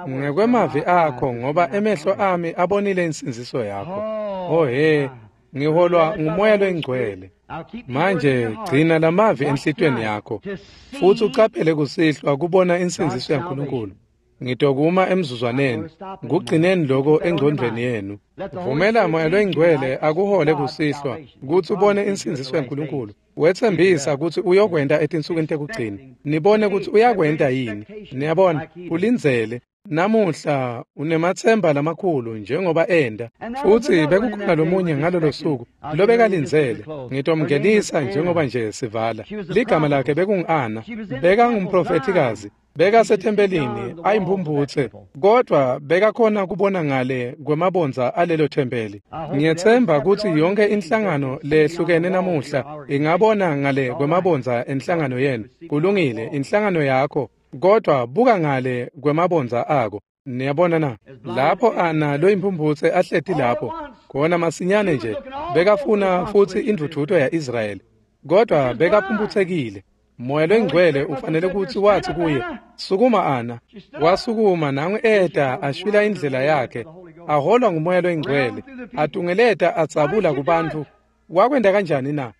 ngekwemavi akho, ngoba emehlo ami abonile insindziso yakho. Oh he, ngiholwa nguMoya loyiNgcwele. Manje gcina lamavi enhlitiyweni yakho, futsi ucaphele kusihlwa kubona insindziso yaNkulunkulu. Ngitokuma emzuzwaneni, kugcineni loko engcondvweni yenu. Vumela Moya loyiNgcwele akuhole kusihlwa kutsi ubone insindziso yaNkulunkulu. Wetsembisa kutsi uyokwenta etinsukwini tekugcina. Nibone kutsi uyakwenta yini. Niyabona, ulindzele. Namuhla unematsemba lamakhulu njengoba enda. Futsi bekukhona lomunye ngalolo suku lobekalindzele. Ngitomngenisa njengoba nje sivala. Ligama lakhe bekungu-Ana. Bekangumprofethikazi. Bekasethempelini ayimphumphutse, kodvwa bekakhona kubona ngale kwemabondza alelo thempeli. Ngiyetsemba kutsi yonke inhlangano lehlukene namuhla ingabona ngale kwemabondza enhlangano yenu. Kulungile, inhlangano yakho, kodvwa buka ngale kwemabondza ako. Niyabona na? Lapho Ana loyimphumputse ahleti lapho khona masinyane nje bekafuna futsi indvudvuto ya-Israyeli, kodvwa bekaphumphutsekile. Moya loyiNgcwele ufanele kutsi watsi kuye, sukuma Ana. Wasukuma, nangu eta ashwila indlela yakhe, aholwa nguMoya loyiNgcwele, atungeleta adzabula kubantfu. Wakwenta kanjani na?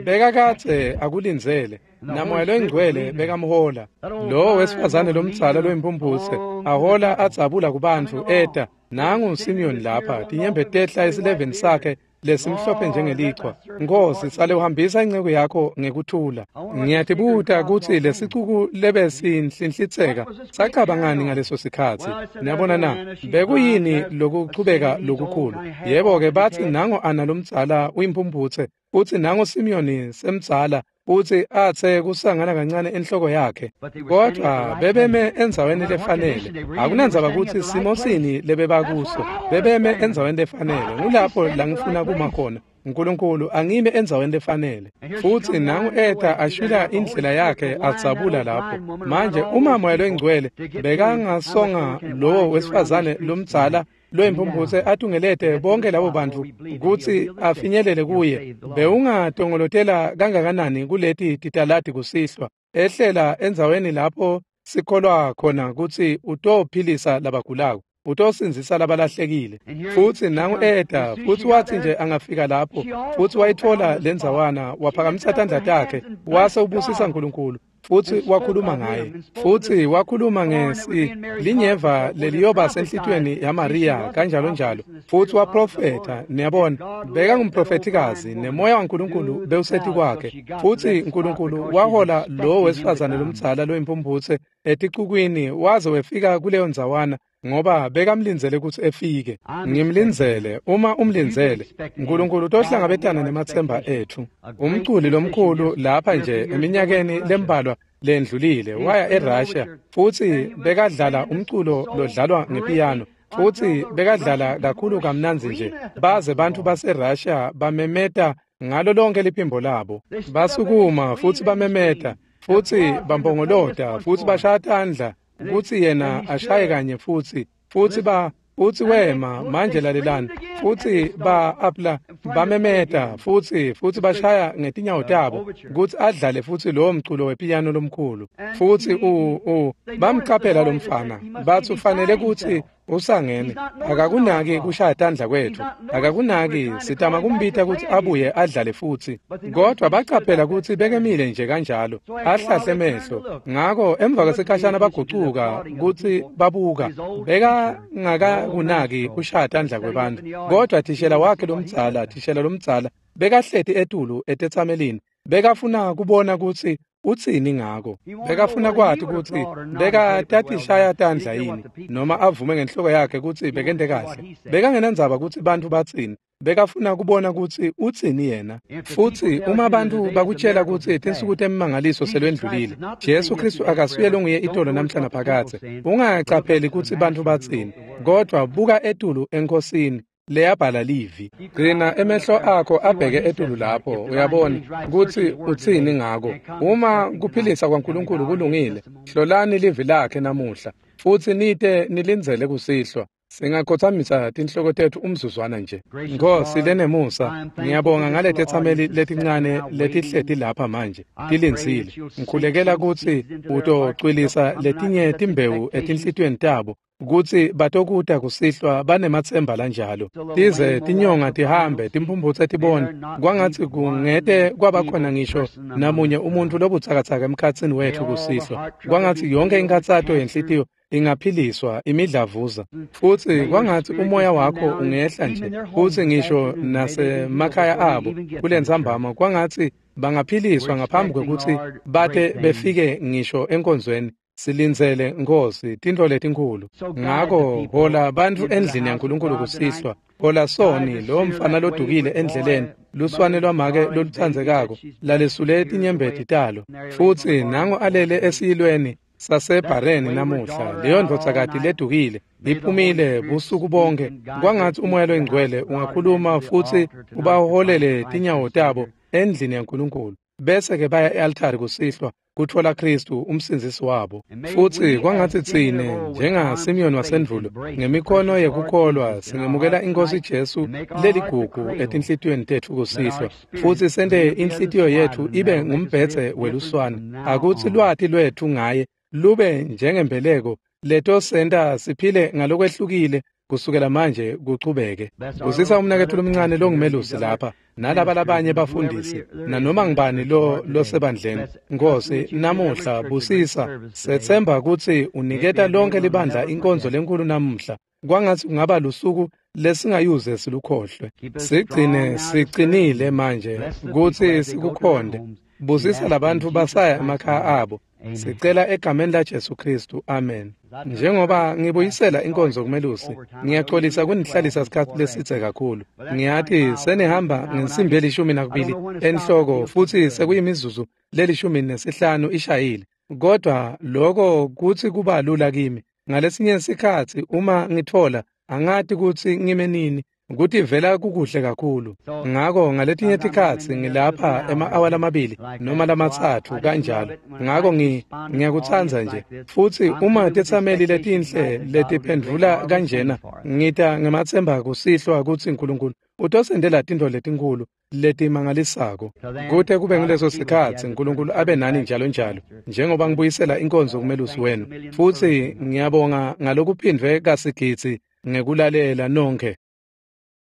Bekakadze akulindzele, naMoya loyiNgcwele bekamhola. Lowo wesifazane lomdzala loyimphumputse ahola adzabula kubantfu eta. Nangu Simiyoni lapha, tinyembeti tehla esileveni sakhe lesimhlophe njengelichwa. Nkhosi, sale uhambisa inceku yakho ngekuthula. Ngiyatibuta kutsi lesicuku lebesinhlinhlitseka sacabangani ngaleso sikhatsi. Niyabona na? Bekuyini lokuchubeka lokukhulu? Yebo-ke, batsi nango Ana lomdzala uyimphumputse, futsi nango Simiyoni semdzala, futsi atse kusangana kancane enhloko yakhe. Kodvwa bebeme endzaweni lefanele. Akunandzaba kutsi simo sini lebebakuso, bebeme endzaweni lefanele. Ngulapho la ngifuna kuma khona. Nkulunkulu angime endzaweni lefanele. Futsi nangu eta ashwila indlela yakhe adzabula lapho. Manje uma Moya loyiNgcwele bekangasonga lowo wesifazane lomdzala loyimphumputse atungelete bonke labo bantfu kutsi afinyelele kuye, bewungatongolotela kangakanani kuleti titaladi kusihlwa, ehlela endzaweni lapho sikholwa khona kutsi utophilisa labagulako, utosindzisa labalahlekile. Futsi nangu eta, futsi watsi nje angafika lapho, futsi wayitfola lendzawana, waphakamisa tandla takhe, wase ubusisa Nkulunkulu, futsi wakhuluma ngaye. Futsi wakhuluma ngesi linyeva leliyoba senhlitiyweni yaMariya kanjalo njalo. Futsi waprofetha. Niyabona, bekangumprofethikazi, nemoya waNkulunkulu bewuseti kwakhe. Futsi Nkulunkulu wahola lowo wesifazane lomdzala loyimphumputse eticukwini waze wefika kuleyo ndzawana, ngoba bekamlindzele kutsi efike. Ngimlindzele. Uma umlindzele, Nkulunkulu utohlangabetana nematsemba etfu. Umculi lomkhulu lapha nje eminyakeni lembalwa lendlulile waya eRussia, futsi bekadlala umculo lodlalwa ngepiyano, futsi bekadlala kakhulu kamnandzi nje baze bantfu baseRussia bamemeta ngalo lonke liphimbo labo. Basukuma futsi bamemeta, futsi bampongolota, futsi bashaya tandla kutsi yena ashaye kanye futsi, futsi ba futsi wema. Manje lalelani. Futsi ba apla bamemeta futsi futsi bashaya ngetinyawo tabo kutsi adlale futsi lowo mculo wepiyano lomkhulu. Futsi u u bamcaphela lomfana, batsi ufanele kutsi Usangene, akakunaki kushaya tandla kwethu, akakunaki sitama kumbita kutsi abuye adlale futsi. Kodwa bacaphela kutsi bekemile nje kanjalo, ahlahle emehlo. Ngako emva kwesikhashana bagucuka kutsi babuka, bekangakakunaki kushaya tandla kwebantfu. Kodwa thishela wakhe lomdzala, thishela lomdzala, bekahleti etulu etetsamelini, bekafuna kubona kutsi utsini ngako. Bekafuna kwati kutsi bekatatishaya tandla yini noma avume ngenhloko yakhe kutsi bekente kahle. Bekangenandzaba kutsi bantfu batsini, bekafuna kubona kutsi utsini yena. Futsi uma bantfu bakutshela kutsi tinsuku temimangaliso selwendlulile, Jesu Khristu akasuye longuye itolo namhla naphakadze. Ungacapheli kutsi bantfu batsini, kodwa buka etulu eNkhosini leyabhala livi. Gcina emehlo akho abheke etulu lapho, uyabona kutsi utsini ngako. Uma kuphilisa kwaNkulunkulu kulungile, hlolani livi lakhe namuhla, futsi nite nilindzele kusihlwa. Singakhothamisa tinhloko tetfu umzuzwana nje. Nkosi lenemusa, ngiyabonga ngaletetsameli letincane letihleti lapha manje tilindzile. Ngikhulekela kutsi utocwilisa letinye timbewu etinhlitiyweni tabo, kutsi batokuta kusihlwa banematsemba lanjalo. Tize tinyonga tihambe, timphumphutse tibone, kwangatsi kungete kwabakhona ngisho namunye umuntfu lobutsakatsaka emkhatsini wetfu kusihlwa. Kwangatsi yonke inkhatsato yenhlitiyo ingaphiliswa imidlavuza, futsi kwangatsi umoya wakho ungehla nje futsi ngisho nasemakhaya abo kulentsambama, kwangatsi bangaphiliswa ngaphambi kwekutsi bate befike ngisho enkonzweni. Silindzele Nkosi tintfo letinkhulu. Ngako hola bantfu endlini yaNkulunkulu kusihlwa. Hola soni lo mfana lodukile endleleni, luswane lwamake lolutsandzekako lalesule tinyembeti talo, futsi nango alele esiyilweni saseBhareni namuhla. Leyo ndvodzakati ledukile iphumile busuku bonke. Kwangatsi umoya loyingcwele ungakhuluma futsi ubaholele tinyawo tabo endlini yaNkulunkulu, bese-ke baya e-altari kusihlwa kutfola Khristu umsindzisi wabo. Futsi kwangatsi tsine njengaSimeyoni wasendvulo ngemikhono yekukholwa singemukela iNkhosi Jesu leligugu etinhlitiyweni tetfu kusihlwa, futsi sente inhlitiyo yetfu ibe ngumbhedze weluswane. Akutsi lwati lwetfu ngaye lube njengembeleko letosenta siphile ngalokwehlukile kusukela manje kuchubeke. Busisa umnaketfu lomncane longumelusi lapha nalaba labanye bafundisi nanoma ngibani lo losebandleni. Nkosi namuhla busisa, setsemba kutsi uniketa lonke libandla inkonzo lenkulu namuhla. Kwangatsi kungaba lusuku lesingayuze silukhohlwe. Sigcine siqinile manje kutsi sikukhonde. Busisa labantfu basaya emakhaya abo. Sicela egameni la Jesu Khristu, amen. Njengoba ngibuyisela inkonzo kumelusi, ngiyaxolisa kunihlalisa sikhatsi lesidze kakhulu. Ngiyati senihamba ngensimbi elishumi nakubili enhloko futsi sekuyimizuzu lelishumi nesihlanu ishayile. Kodwa lokho kutsi kuba lula kimi. Ngalesinye sikhatsi uma ngitfola angati kutsi ngime nini, kutivela kukuhle kakhulu. Ngako ngaletinye tikhatsi ngilapha ema-awa lamabili noma lamatsatfu kanjalo. Ngako ngi ngiyakutsandza nje. Futsi uma tetsameli letinhle letiphendvula kanjena, ngita ngematsemba kusihlwa kutsi Nkulunkulu utosendela tintfo letinkhulu letimangalisako. Kute kube nguleso sikhatsi Nkulunkulu abe nani njalo njalo, njengoba ngibuyisela inkonzo kumelusi wenu. Futsi ngiyabonga ngalokuphindvwe kasigidzi ngekulalela nonke.